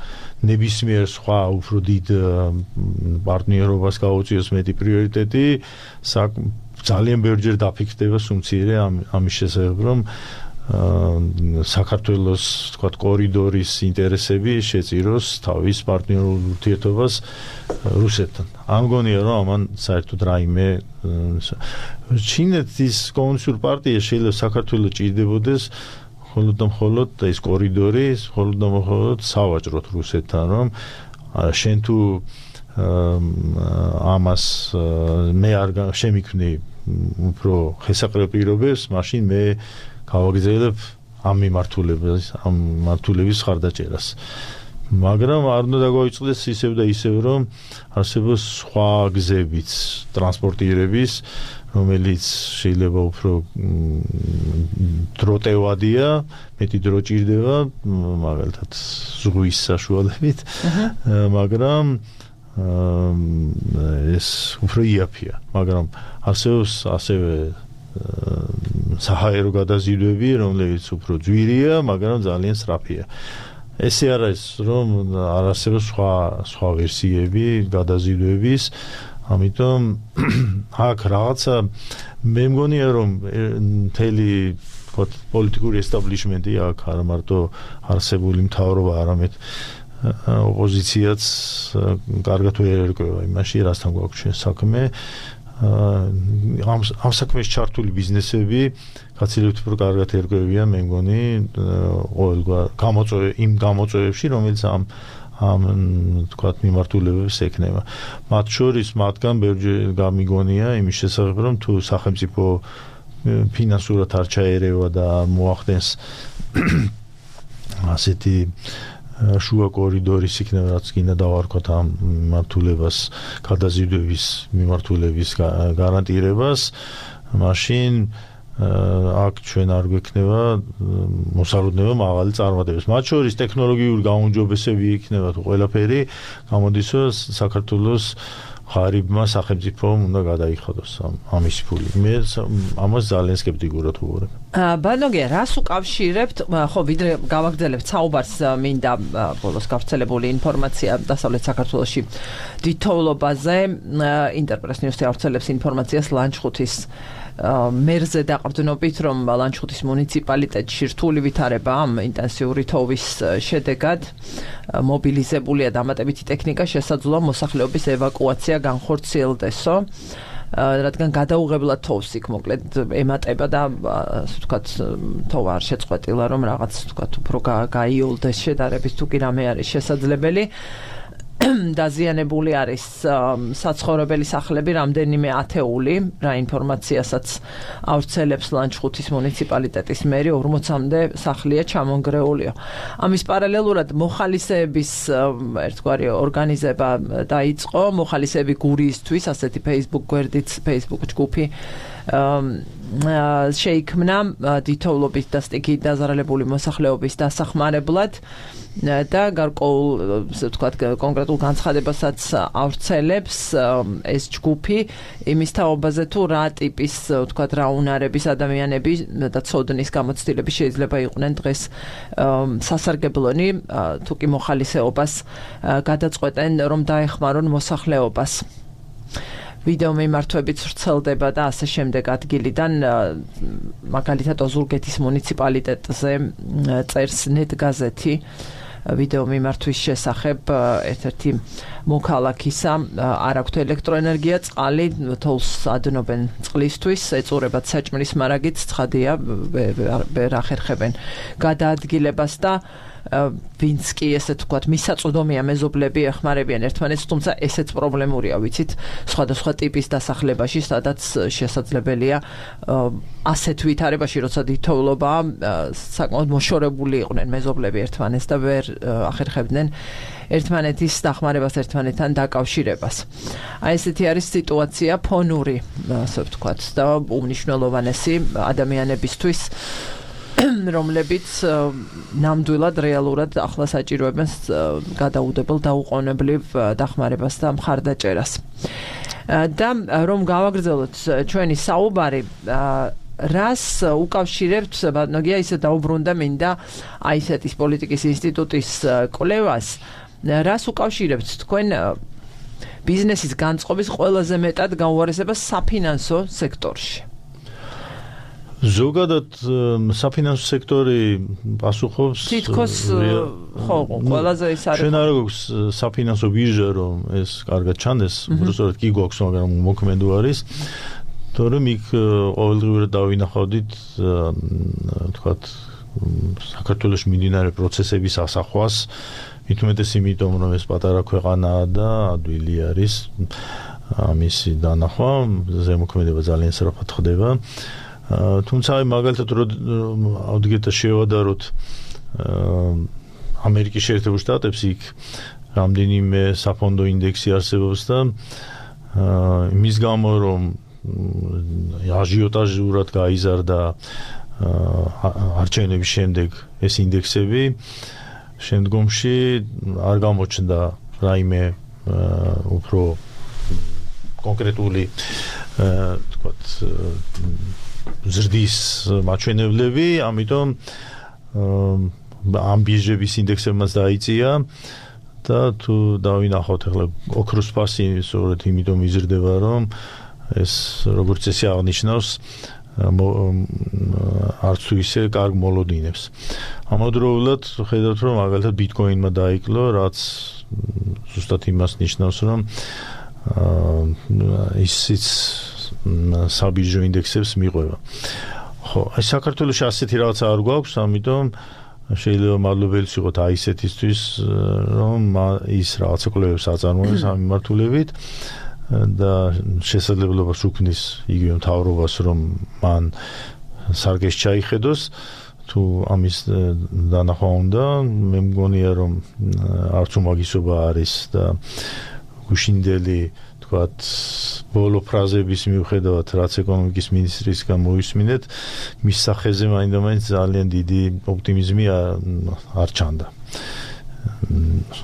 ნებისმიერ სხვა უფრო დიდ პარტნიორობას გაუწიოს მეტი პრიორიტეტი ძალიან ბევრჯერ დაფიქსდება სუმცირე ამის შესახებ რომ საქართველოს თქვათ კორიდორის ინტერესები შეწიროს თავის პარტნიორულ ურთიერთობას რუსეთთან. ამ გონია რომ ამან საერთოდ რაიმე ჩინეთის კომუნისტური პარტია შეიძლება საქართველოს ჭირდებოდეს მხოლოდ და მხოლოდ ეს კორიდორი მხოლოდ და მხოლოდ სავაჭროთ რუსეთთან რომ შენ თუ ამას მე არ შემიქმნი უფრო ხესაყრელ პირობებს მაშინ მე გავაგრძელებ ამ მიმართულებას ამ მართულების ხარდაჭერას მაგრამ არ უნდა დაგვაიწყდეს ისევ და ისევ რომ არსებობს სხვა გზებიც ტრანსპორტირების რომელიც შეიძლება უფრო დროტევადია მეტი დრო ჭირდება მაგალითად ზღვის საშუალებით მაგრამ ეს უფრო იაფია მაგრამ არსებობს ასევე საჰაერო გადაზიდვები რომლებიც უფრო ძვირია მაგრამ ძალიან სწრაფია ესე არ არის რომ არ არსებობს სხვა სხვა ვერსიები გადაზიდვების ამიტომ აქ რაღაცა მე მგონია რომ მთელი თქო პოლიტიკური ესტაბლიშმენტი აქ არ მარტო არსებული მთავრობა არამედ ოპოზიციაც კარგად ვერ ერკვევა იმაში რასთან გვაქვს ჩვენ საქმე ამ ამ საქმეში ჩართული ბიზნესები გაცილებით უფრო კარგად ერკვევიან მე მგონი ყოველგვარ გამოწვევ იმ გამოწვევებში რომელიც ამ ამ თქვათ მიმართულებებს ექნება მათ შორის მათგან ბევრჯერ გამიგონია იმის შესახებ რომ თუ სახელმწიფო ფინანსურად არ ჩაერევა და მოახდენს ასეთი შუა კორიდორის იქნება რაც კიდე დავარქვათ ამ მიმართულებას გადაზიდვების მიმართულების გარანტირებას მაშინ აქ ჩვენ არ გვექნება მოსალოდნელობა მაღალი წარმატებების მათ შორის ტექნოლოგიური გაუმჯობესები იქნება თუ ყველაფერი გამოდის რომ საქართველოს ღარიბმა სახელმწიფომ უნდა გადაიხადოს ამის ფული მე ამას ძალიან სკეპტიკურად ვუყურებ ბანოგია რას უკავშირებთ ხო ვიდრე გავაგრძელებთ საუბარს მინდა ბოლოს გავრცელებული ინფორმაცია დასავლეთ საქართველოში დიდთოვლობაზე ინტერპრეს ნიუსი ავრცელებს ინფორმაციას ლანჩხუთის მერზე დაყრდნობით რომ ლანჩხუთის მუნიციპალიტეტში რთული ვითარება ამ ინტენსიური თოვის შედეგად მობილიზებულია დამატებითი ტექნიკა შესაძლოა მოსახლეობის ევაკუაცია განხორციელდესო რადგან გადაუღებლად თოვს იქ მოკლედ ემატება და ასე ვთქვათ თოვა არ შეწყვეტილა რომ რაღაც ვთქვათ უფრო გაიოლდეს შედარებით თუ კი რამე არის შესაძლებელი დაზიანებული არის საცხოვრებელი სახლები რამდენიმე ათეული რა ინფორმაციასაც ავრცელებს ლანჩხუთის მუნიციპალიტეტის მერი ორმოცამდე სახლია ჩამონგრეულიო ამის პარალელურად მოხალისეების ერთგვარი ორგანიზება დაიწყო მოხალისეები გურიისთვის ასეთი Facebook გვერდიც Facebook ჯგუფი შეიქმნა დითოვლობის და სტიქით დაზარალებული მოსახლეობის დასახმარებლად და გარკვეულ ასე ვთქვათ კონკრეტულ განცხადებასაც ავრცელებს ეს ჯგუფი იმის თაობაზე თუ რა ტიპის ვთქვათ რა უნარების ადამიანები და ცოდნის გამოცდილები შეიძლება იყვნენ დღეს სასარგებლონი თუ კი მოხალისეობას გადაწყვეტენ რომ დაეხმარონ მოსახლეობას ვიდეო მიმართვებით ვრცელდება და ასე შემდეგ ადგილიდან მაგალითად ოზურგეთის მუნიციპალიტეტზე წერს net გაზეთი ვიდეო მიმართვის შესახებ ერთ-ერთი მოქალაქისა არ აქვთ ელექტროენერგია წყალი თოლს ადნობენ წყლისთვის ეწურებათ საჭმლის მარაგით ცხადია ვერ ახერხებენ გადაადგილებას და ვინც კი ესე თქვათ მისაწვდომია მეზობლები ეხმარებიან ერთმანეთს თუმცა ესეც პრობლემურია ვიცით სხვადასხვა ტიპის დასახლებაში სადაც შესაძლებელია ასეთ ვითარებაში როცა დითოვლობა საკმაოდ მოშორებული იყვნენ მეზობლები ერთმანეთს და ვერ ახერხებდნენ ერთმანეთის დახმარებას ერთმანეთთან დაკავშირებას აი ესეთი არის სიტუაცია ფონური ასე ვთქვათ და უმნიშვნელოვანესი ადამიანებისთვის რომლებიც ნამდვილად რეალურად ახლა საჭიროებენ გადაუდებელ დაუყოვნებლივ დახმარებას და მხარდაჭერას. და რომ გავაგრძელოთ ჩვენი საუბარი რას უკავშირებთ ბატონოგია ისე დაუბრუნდა მინდა აისეტის პოლიტიკის ინსტიტუტის კვლევას რას უკავშირებთ თქვენ ბიზნესის განწყობის ყველაზე მეტად გაუარესებას საფინანსო სექტორში ზოგადად საფინანსო სექტორი პასუხობს თითქოს ხო ყველაზე ის არის ჩვენ არ გვაქვს საფინანსო ბირჟა რომ ეს კარგად ჩანდეს უბრალოდ კი გვაქვს მაგრამ მოქმედი არის თორემ იქ ყოველდღიურად დავინახავდით თქვათ საქართველოს მიმდინარე პროცესების ასახვას მithumetes იმიტომ რომ ეს პატარა ქვეყანაა და ადვილი არის ამისი დანახვა ზემოქმედება ძალიან სწრაფად ხდება თუმცა აი მაგალითად რომ ავდგეთ შევადაროთ ამერიკის შეერთებულ შტატებში იქ რამდენიმე საფონდო ინდექსი არსებობს და იმის გამო რომ აჟიოტაჟურად გაიზარდა არჩევნების შემდეგ ეს ინდექსები შემდგომში არ გამოჩნდა რაიმე უფრო კონკრეტული თქვათ ზრდის მაჩვენებლები, ამიტომ ამ ბირჟების ინდექსებმაც დაიწია და თუ დავინახავთ ახლა ოქროს ფასი სწორედ იმიტომ იზრდება რომ ეს როგორც ესე აღნიშნავს არც თუ ისე კარგ მოლოდინებს. ამავდროულად ხედავთ რომ მაგალითად ბიტკოინმა დაიკლო, რაც ზუსტად იმას ნიშნავს რომ ისიც საბირჟო ინდექსებს მიყვება. ხო, აი საქართველოში ასეთი რაღაცა არ გვაქვს, ამიტომ შეიძლება მადლობელიც იყოთ აისეთისთვის, რომ ის რაღაცა კვლევებს აწარმოებს ამ მიმართულებით და შესაძლებლობას უქმნის იგივე მთავრობას, რომ მან სარგეში ჩაიხედოს, თუ ამის დანახვა უნდა, მე მგონია რომ არც უმაგისობა არის და გუშინდელი ვთქვათ, ბოლო ფრაზების მიუხედავად, რაც ეკონომიკის მინისტრისგან მოისმინეთ, მის სახეზე მაინდა-მაინც ძალიან დიდი ოპტიმიზმი არ ჩანდა.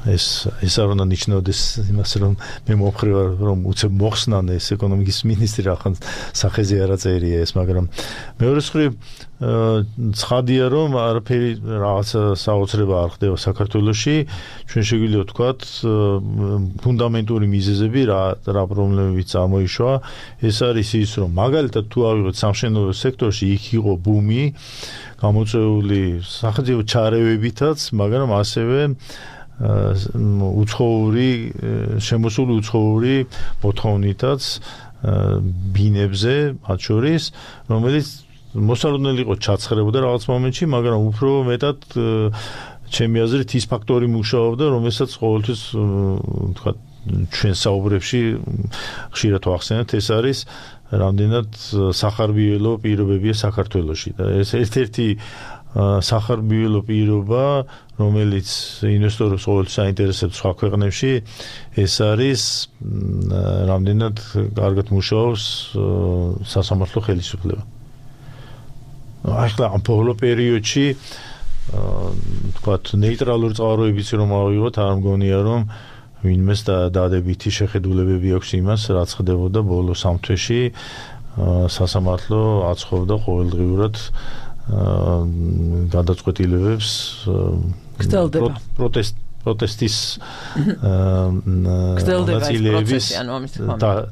ეს ეს არ უნდა ნიშნავდეს იმას, რომ მე მომხრე ვარ, რომ უცებ მოხსნან ეს ეკონომიკის მინისტრი ახლა სახეზე არ აწერია ეს, მაგრამ მეორე მხრივ ცხადია, რომ არაფერი რაღაცა საოცრება არ ხდება საქართველოში, ჩვენ შეგვიძლია ვთქვათ, ფუნდამენტური მიზეზები რა რა პრობლემებიც წარმოიშვა, ეს არის ის, რომ მაგალითად თუ ავიღოთ სამშენებლო სექტორში, იქ იყო ბუმი, გამოწვეული სახელმწიფო ჩარევებითაც, მაგრამ ასევე უცხოური შემოსული უცხოური მოთხოვნითაც ბინებზე მათ შორის, რომელიც მოსალოდნელი იყო ჩაცხრებოდა რაღაც მომენტში, მაგრამ უფრო მეტად ჩემი აზრით ის ფაქტორი მუშაობდა, რომელსაც ყოველთვის ვთქვათ ჩვენ საუბრებში ხშირად ვახსენებთ, ეს არის რამდენად სახარბიელო პირობებია საქართველოში და ეს ერთ-ერთი სახარბიელო პირობა, რომელიც ინვესტორებს ყოველთვის აინტერესებს სხვა ქვეყნებში, ეს არის რამდენად კარგად მუშაობს სასამართლო ხელისუფლება. ახლა ამ ბოლო პერიოდში თქვათ ნეიტრალური წყაროებიც რომ ავიღოთ, არ მგონია რომ ვინმეს დადებითი შეხედულებები აქვს იმას, რაც ხდებოდა ბოლო სამ თვეში სასამართლო აცხობდა ყოველდღიურად გადაწყვეტილებებს გრძელდება პროტესტ პროტესტის გრძელდება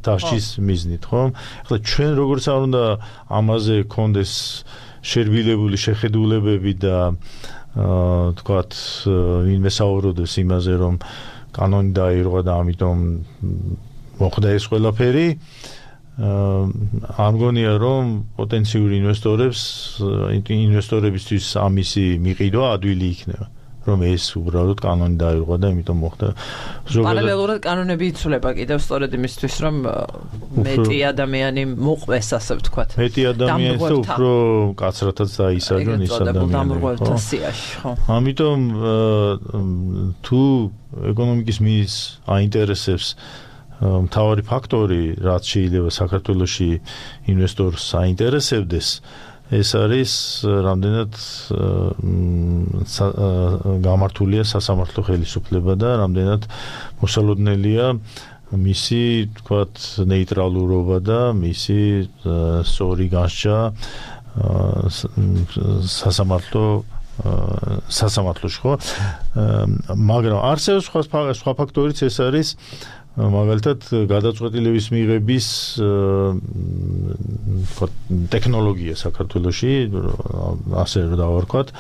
დაშის მიზნით, ხო? ახლა ჩვენ როგორც არ უნდა ამაზე კონდეს შერბილებული შეხედულებები და თქვათ ვინმე საუბრობდეს იმაზე რომ კანონი დაირღვა და ამიტომ მოხდა ეს ყველაფერი არ მგონია რომ პოტენციური ინვესტორებს ინვესტორებისთვის ამისი მიყიდვა ადვილი იქნება რომ ეს უბრალოდ კანონი დაირღვა და იმიტომ მოხდა პარალელურად კანონები იცვლება კიდევ სწორედ იმისთვის რომ მეტი ადამიანი მოყვეს ასე ვთქვათ მეტი ადამიანის და უფრო კაცრათაც დაისაჯონ ის ადამიანები ხო ამიტომ თუ ეკონომიკის მინისტრს აინტერესებს მთავარი ფაქტორი რაც შეიძლება საქართველოში ინვესტორს აინტერესებდეს ეს არის რამდენად გამართულია სასამართლო ხელისუფლება და რამდენად მოსალოდნელია მისი თქვათ ნეიტრალურობა და მისი სწორი განსჯა სასამართლო სასამართლოში ხო მაგრამ არსებობს სხვა სხვა ფაქტორიც ეს არის მაგალითად გადაწყვეტილების მიღების ტექნოლოგია საქართველოში ასე რომ დავარქვათ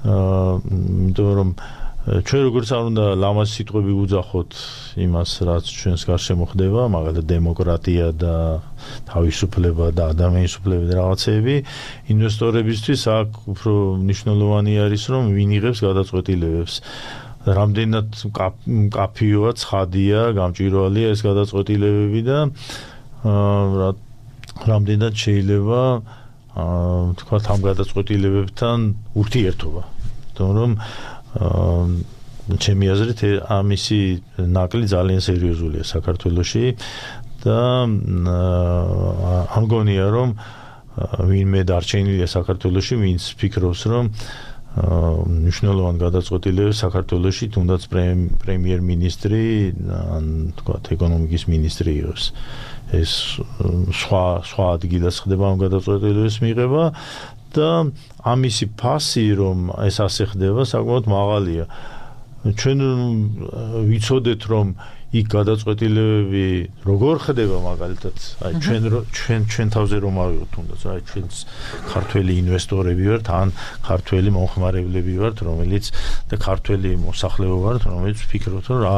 იმიტომ რომ ჩვენ როგორც არ უნდა ლამაზ სიტყვები უძახოთ იმას რაც ჩვენს გარშემო ხდება მაგალითად დემოკრატია და თავისუფლება და ადამიანისუფლება და რაღაცეები ინვესტორებისთვის აქ უფრო მნიშვნელოვანი არის რომ ვინ იღებს გადაწყვეტილებებს რამდენად კაფეოა, ცხადია, გამჭვირვალეა ეს გადაწყვეტილებები და რამდენად შეიძლება თქვა ამ გადაწყვეტილებებთან ურთიერთობა. იმიტომ რომ ჩემი აზრით ამისი ნაკლი ძალიან სერიოზულია საქართველოში და ამგონია რომ ვინმე დარჩენილია საქართველოში, ვინც ფიქრობს რომ მნიშვნელოვან გადაწყვეტილებებს საქართველოში თუნდაც პრემიერ-მინისტრი ან თქვა ეკონომიკის მინისტრი იყოს ეს სხვა სხვა ადგილას ხდება ამ გადაწყვეტილებების მიღება და ამისი ფასი რომ ეს ასე ხდება საკმაოდ მაღალია ჩვენ ვიცოდეთ რომ იქ გადაწყვეტილებები როგორ ხდება მაგალითად აი ჩვენ ჩვენ ჩვენ თავზე რომ ავიღოთ თუნდაც აი ჩვენს ქართველი ინვესტორები ვართ ან ქართველი მომხმარებლები ვართ რომელიც და ქართველი მოსახლეობა ვართ რომელიც ვფიქრობთ რომ რა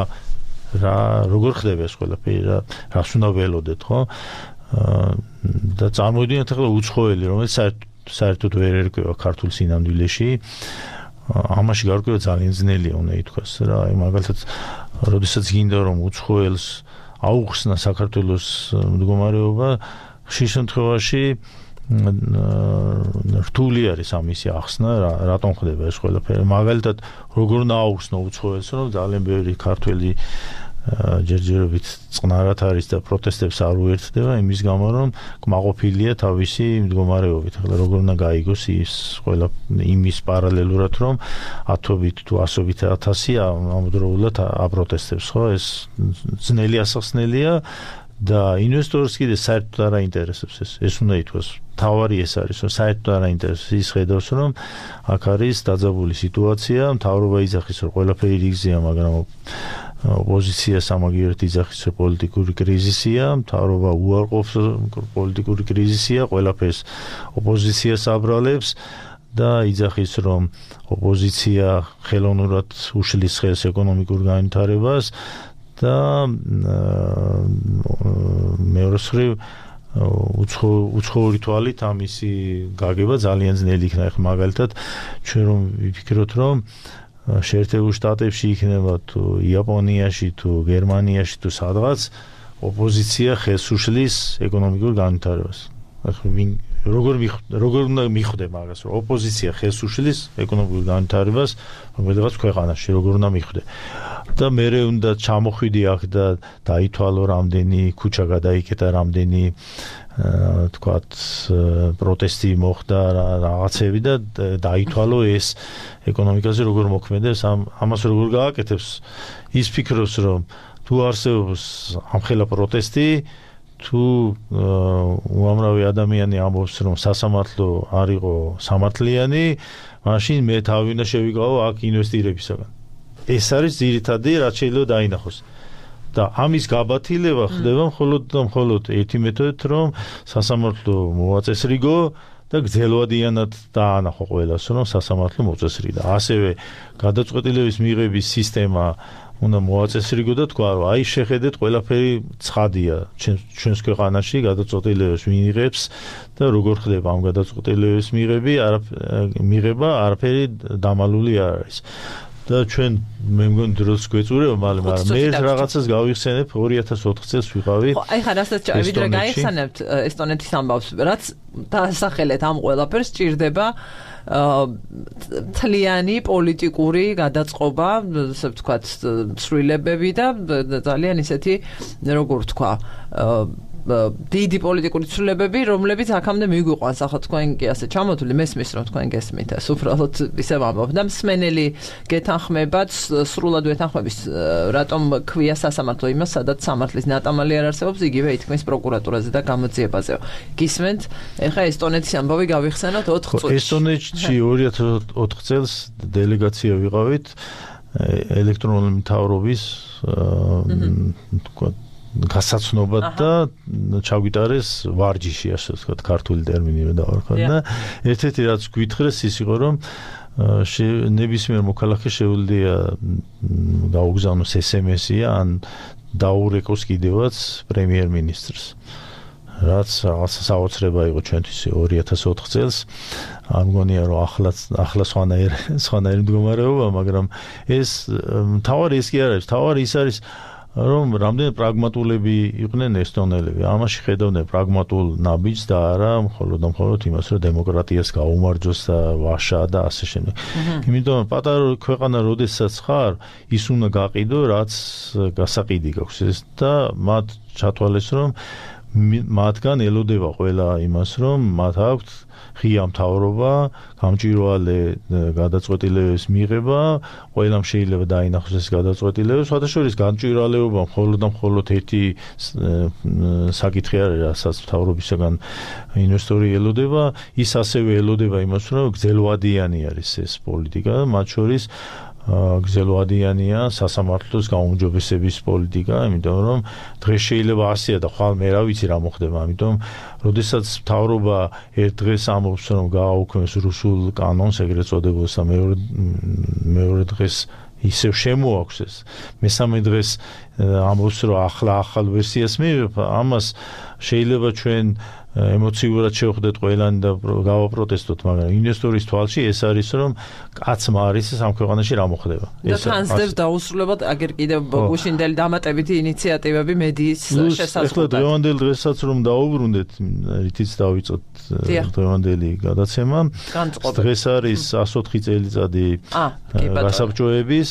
რა როგორ ხდება ეს ყველაფერი რა რას უნდა ველოდეთ ხო და წარმოვიდგინეთ ახლა უცხოელი რომელიც საერთოდ ვერ ერკვევა ქართულ სინამდვილეში ამაში გარკვევა ძალიან ძნელია უნდა ითქვას რა აი მაგალითად როდესაც გინდა რომ უცხოელს აუხსნა საქართველოს მდგომარეობა ხშირ შემთხვევაში რთული არის ამისი ახსნა რატომ ხდება ეს ყველაფერი მაგალითად როგორ უნდა აუხსნა უცხოელს რომ ძალიან ბევრი ქართველი ჯერჯერობით წყნარად არის და პროტესტებს არ უერთდება იმის გამო რომ კმაყოფილია თავისი მდგომარეობით. ახლა როგორ უნდა გაიგოს ის ყველა იმის პარალელურად რომ ათობით თუ ასობით ათასი ამავდროულად აპროტესტებს ხო ეს ძნელი ასახსნელია და ინვესტორს კიდე საერთოდ არ აინტერესებს ეს ეს უნდა ითქვას თავარი ეს არის რომ საერთოდ არ აინტერესებს ის ხედავს რომ აქ არის დაძაბული სიტუაცია მთავრობა იძახის რომ ყველაფერი რიგზეა მაგრამ ოპოზიცია სამაგიერად იძახის რომ პოლიტიკური კრიზისია მთავრობა უარყოფს პოლიტიკური კრიზისია ყველაფერს ოპოზიციას აბრალებს და იძახის რომ ოპოზიცია ხელოვნურად უშლის ხელს ეკონომიკურ განვითარებას და მეორე მხრივ უცხოური თვალით ამისი გაგება ძალიან ძნელი იქნება. ახლა მაგალითად ჩვენ რომ ვიფიქროთ რომ შეერთებულ შტატებში იქნება თუ იაპონიაში თუ გერმანიაში თუ სადღაც ოპოზიცია ხელს უშლის ეკონომიკურ განვითარებას. ახლა ვინ როგორ როგორ უნდა მიხვდე მაგას, რომ ოპოზიცია ხელს უშლის ეკონომიკურ განვითარებას რომელიღაც ქვეყანაში, როგორ უნდა მიხვდე. და მერე უნდა ჩამოხვიდი აქ და დაითვალო რამდენი ქუჩა გადაიკეტა, რამდენი თქვათ პროტესტი მოხდა რაღაცები და დაითვალო ეს ეკონომიკაზე როგორ მოქმედებს, ამას როგორ გააკეთებს. ის ფიქრობს, რომ თუ არსებობს ამხელა პროტესტი, თუ უამრავი ადამიანი ამბობს, რომ სასამართლო არ იყო სამართლიანი, მაშინ მე თავი უნდა შევიკავო აქ ინვესტირებისაგან. ეს არის ძირითადი, რაც შეიძლება დაინახოს. და ამის გაბათილება ხდება მხოლოდ და მხოლოდ ერთი მეთოდით, რომ სასამართლო მოაწესრიგო და გრძელვადიანად დაანახო ყველას, რომ სასამართლო მოწესრიგდა. ასევე გადაწყვეტილების მიღების სისტემა უნდა მოაწესრიგო და თქვა, რომ აი შეხედეთ, ყველაფერი ცხადია ჩვენს ქვეყანაში გადაწყვეტილებას მიიღებს და როგორ ხდება ამ გადაწყვეტილების მიღები, მიღება არაფერი დამალული არ არის. და ჩვენ მე მგონი დროს გვეწურება, მაგრამ მე რაღაცას გავიხსენებ ორი ათას ოთხ წელს ვიყავი. ხო, აი ხა რასაც ვიდრე გაიხსენებთ ესტონეთის ამბავს, რაც დაასახელეთ ამ ყველაფერს ჭირდება თლიანი პოლიტიკური გადაწყობა, ასე ვთქვათ, ცვლილებები და ძალიან ისეთი, როგორ ვთქვა, დიდი პოლიტიკური ცვლილებები, რომლებიც აქამდე მიგვიყვანს, ახლა თქვენ კი ასე ჩამოთვლი, მესმის რომ თქვენ გესმით, ეს უბრალოდ ისევ ამბობ და მსმენელი გეთანხმებათ, სრულად ვეთანხმების, რატომ ქვია სასამართლო იმას, სადაც სამართლის ნატამალი არ არსებობს, იგივე ითქმის პროკურატურაზე და გამოძიებაზე. გისმენთ, ეხლა ესტონეთის ამბავი გავიხსენოთ ოთხ წუთში. ესტონეთში ორი ათას ოთხ წელს დელეგაცია ვიყავით ელექტრონული მთავრობის თქვა გასაცნობად და ჩაგვიტარეს ვარჯიში, ასე ვთქვათ, ქართული ტერმინი დავარქვა და ერთ-ერთი რაც გვითხრეს ის იყო, რომ ნებისმიერ მოქალაქეს შეუძლია გაუგზავნოს ეს ემ ესი ან დაურეკოს კიდევაც პრემიერ-მინისტრს. რაც რაღაცა საოცრება იყო ჩვენთვის ორი ათას ოთხ წელს. არ მგონია, რომ ახლა ახლა სხვანაირი სხვანაირი მდგომარეობა, მაგრამ ეს თავარი ის კი არ არის, თავარი ის არის, რომ რამდენი პრაგმატულები იყვნენ ესტონელები. ამაში ხედავდნენ პრაგმატულ ნაბიჯს და არა მხოლოდ და მხოლოდ იმას, რომ დემოკრატიას გაუმარჯოს და ვაშა და ასე შემდეგ. იმიტომ პატარა ქვეყანა როდესაც ხარ, ის უნდა გაყიდო, რაც გასაყიდი გაქვს და მათ ჩათვალეს, რომ მათგან ელოდება ყველა იმას, რომ მათ აქვთ ღია მთავრობა, გამჭვირვალე გადაწყვეტილების მიღება, ყველამ შეიძლება დაინახოს ეს გადაწყვეტილება, სხვადასხვა გამჭვირვალეობა მხოლოდ და მხოლოდ ერთი საკითხი არის, რასაც მთავრობისაგან ინვესტორი ელოდება, ის ასევე ელოდება იმას, რომ გრძელვადიანი არის ეს პოლიტიკა, მათ შორის გრძელვადიანია სასამართლოს გაუმჯობესების პოლიტიკა, იმიტომ რომ დღეს შეიძლება ასეა და ხვალ მე რა ვიცი რა მოხდება, ამიტომ როდესაც მთავრობა ერთ დღეს ამბობს, რომ გააუქმეს რუსულ კანონს, ეგრეთ წოდებულს და მეორე მეორე დღეს ისევ შემოაქვს ეს. მესამე დღეს ამბობს, რომ ახლა ახალ ვერსიას მივიღებ, ამას შეიძლება ჩვენ ემოციურად შევხვდეთ ყველანი და გავაპროტესტოთ, მაგრამ ინვესტორის თვალში ეს არის, რომ კაცმა არის ეს ამ ქვეყანაში რა მოხდება. და თანსდებს დაუსრულებად აგერ კიდევ გუშინდელი დამატებითი ინიციატივები მედიის შესაძლებლად. ეხლა დღევანდელ დღესაც რომ დაუბრუნდეთ, რითიც დავიწყოთ დღევანდელი გადაცემა. დღეს არის εκατს ოთხი წელიწადი გასაბჭოების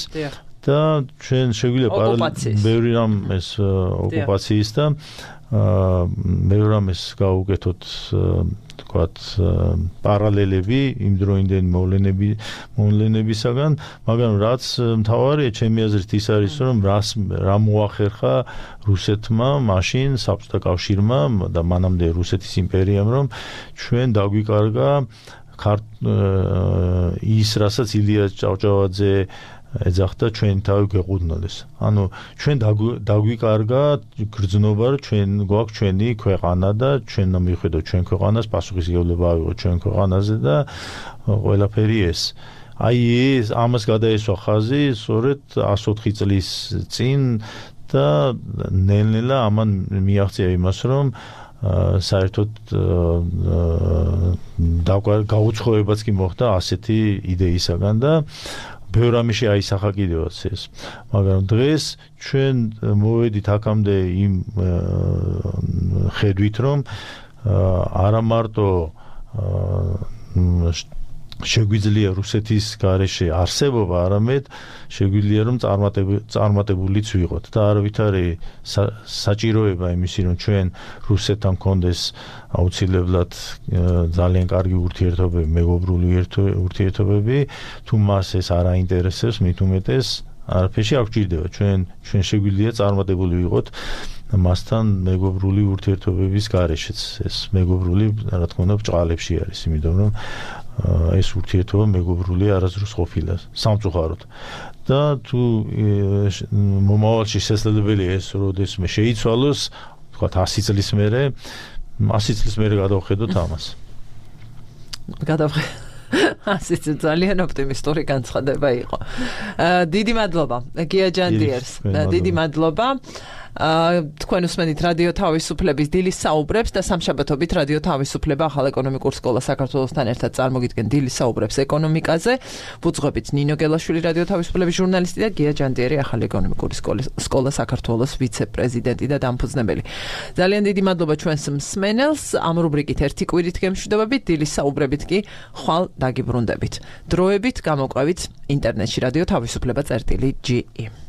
და ჩვენ შეგვიძლია პარალელურად ბევრი რამ ეს ოკუპაციის და მე რომ ეს გავუკეთოთ თქვათ პარალელები იმ დროინდელი მოვლენები მოვლენებისაგან, მაგრამ რაც მთავარია ჩემი აზრით ის არის, რომ რას რა მოახერხა რუსეთმა მაშინ საბჭოთა კავშირმა და მანამდე რუსეთის იმპერიამ, რომ ჩვენ დაგვიკარგა ის, რასაც ილია ჭავჭავაძე ეძახდა ჩვენ თავი გვეყუდნოდეს. ანუ ჩვენ დაგვიკარგა გრძნობა, რომ ჩვენ გვაქვს ჩვენი ქვეყანა და ჩვენ მივხვდეთ ჩვენ ქვეყანას, პასუხისმგებლობა ავიღოთ ჩვენ ქვეყანაზე და ყველაფერი ეს. აი ეს ამას გადაესვა ხაზი სწორედ εκατს ოთხი წლის წინ და ნელ-ნელა ამან მიაღწია იმას, რომ საერთოდ გაუცხოებაც კი მოხდა ასეთი იდეისაგან და ბევრ ამაში აისახა კიდევაც ეს. მაგრამ დღეს ჩვენ მოვედით აქამდე იმ ხედვით, რომ არა მარტო შეგვიძლია რუსეთის გარეშე არსებობა, არამედ შეგვიძლია რომ წარმატებულიც ვიყოთ და არავითარი საჭიროება იმისი რომ ჩვენ რუსეთთან გქონდეს აუცილებლად ძალიან კარგი ურთიერთობები, მეგობრული ურთიერთობები, თუ მას ეს არ აინტერესებს, მით უმეტეს არაფერში არ გვჭირდება. ჩვენ ჩვენ შეგვიძლია წარმატებული ვიყოთ მასთან მეგობრული ურთიერთობების გარეშეც. ეს მეგობრული, რა თქმა უნდა, ბრჭყალებში არის, იმიტომ რომ ეს ურთიერთობა მეგობრული არასდროს ყოფილა სამწუხაროდ. და თუ მომავალში შესაძლებელია ეს როდესმე შეიცვალოს, თქვათ ასი წლის მერე, ასი წლის მერე გადავხედოთ ამას. გადავხედოთ. ასეც ძალიან ოპტიმისტური განცხადება იყო. დიდი მადლობა გია ჯანდიერს. დიდი მადლობა. თქვენ უსმენთ რადიო თავისუფლების დილის საუბრებს და სამშაბათობით რადიო თავისუფლება ახალ ეკონომიკურ სკოლა საქართველოსთან ერთად წარმოგიდგენ დილის საუბრებს ეკონომიკაზე. ვუძღვებით ნინო გელაშვილი რადიო თავისუფლების ჟურნალისტი და გია ჯანდიერი ახალ ეკონომიკური სკოლა საქართველოს ვიცე-პრეზიდენტი და დამფუძნებელი. ძალიან დიდი მადლობა ჩვენს მსმენელს. ამ რუბრიკით ერთი კვირით გემშვიდობებით, დილის საუბრებით კი ხვალ დაგიბრუნდებით. დროებით გამოყვებით ინტერნეტში რადიო თავისუფლება წერტილი ჯი ი.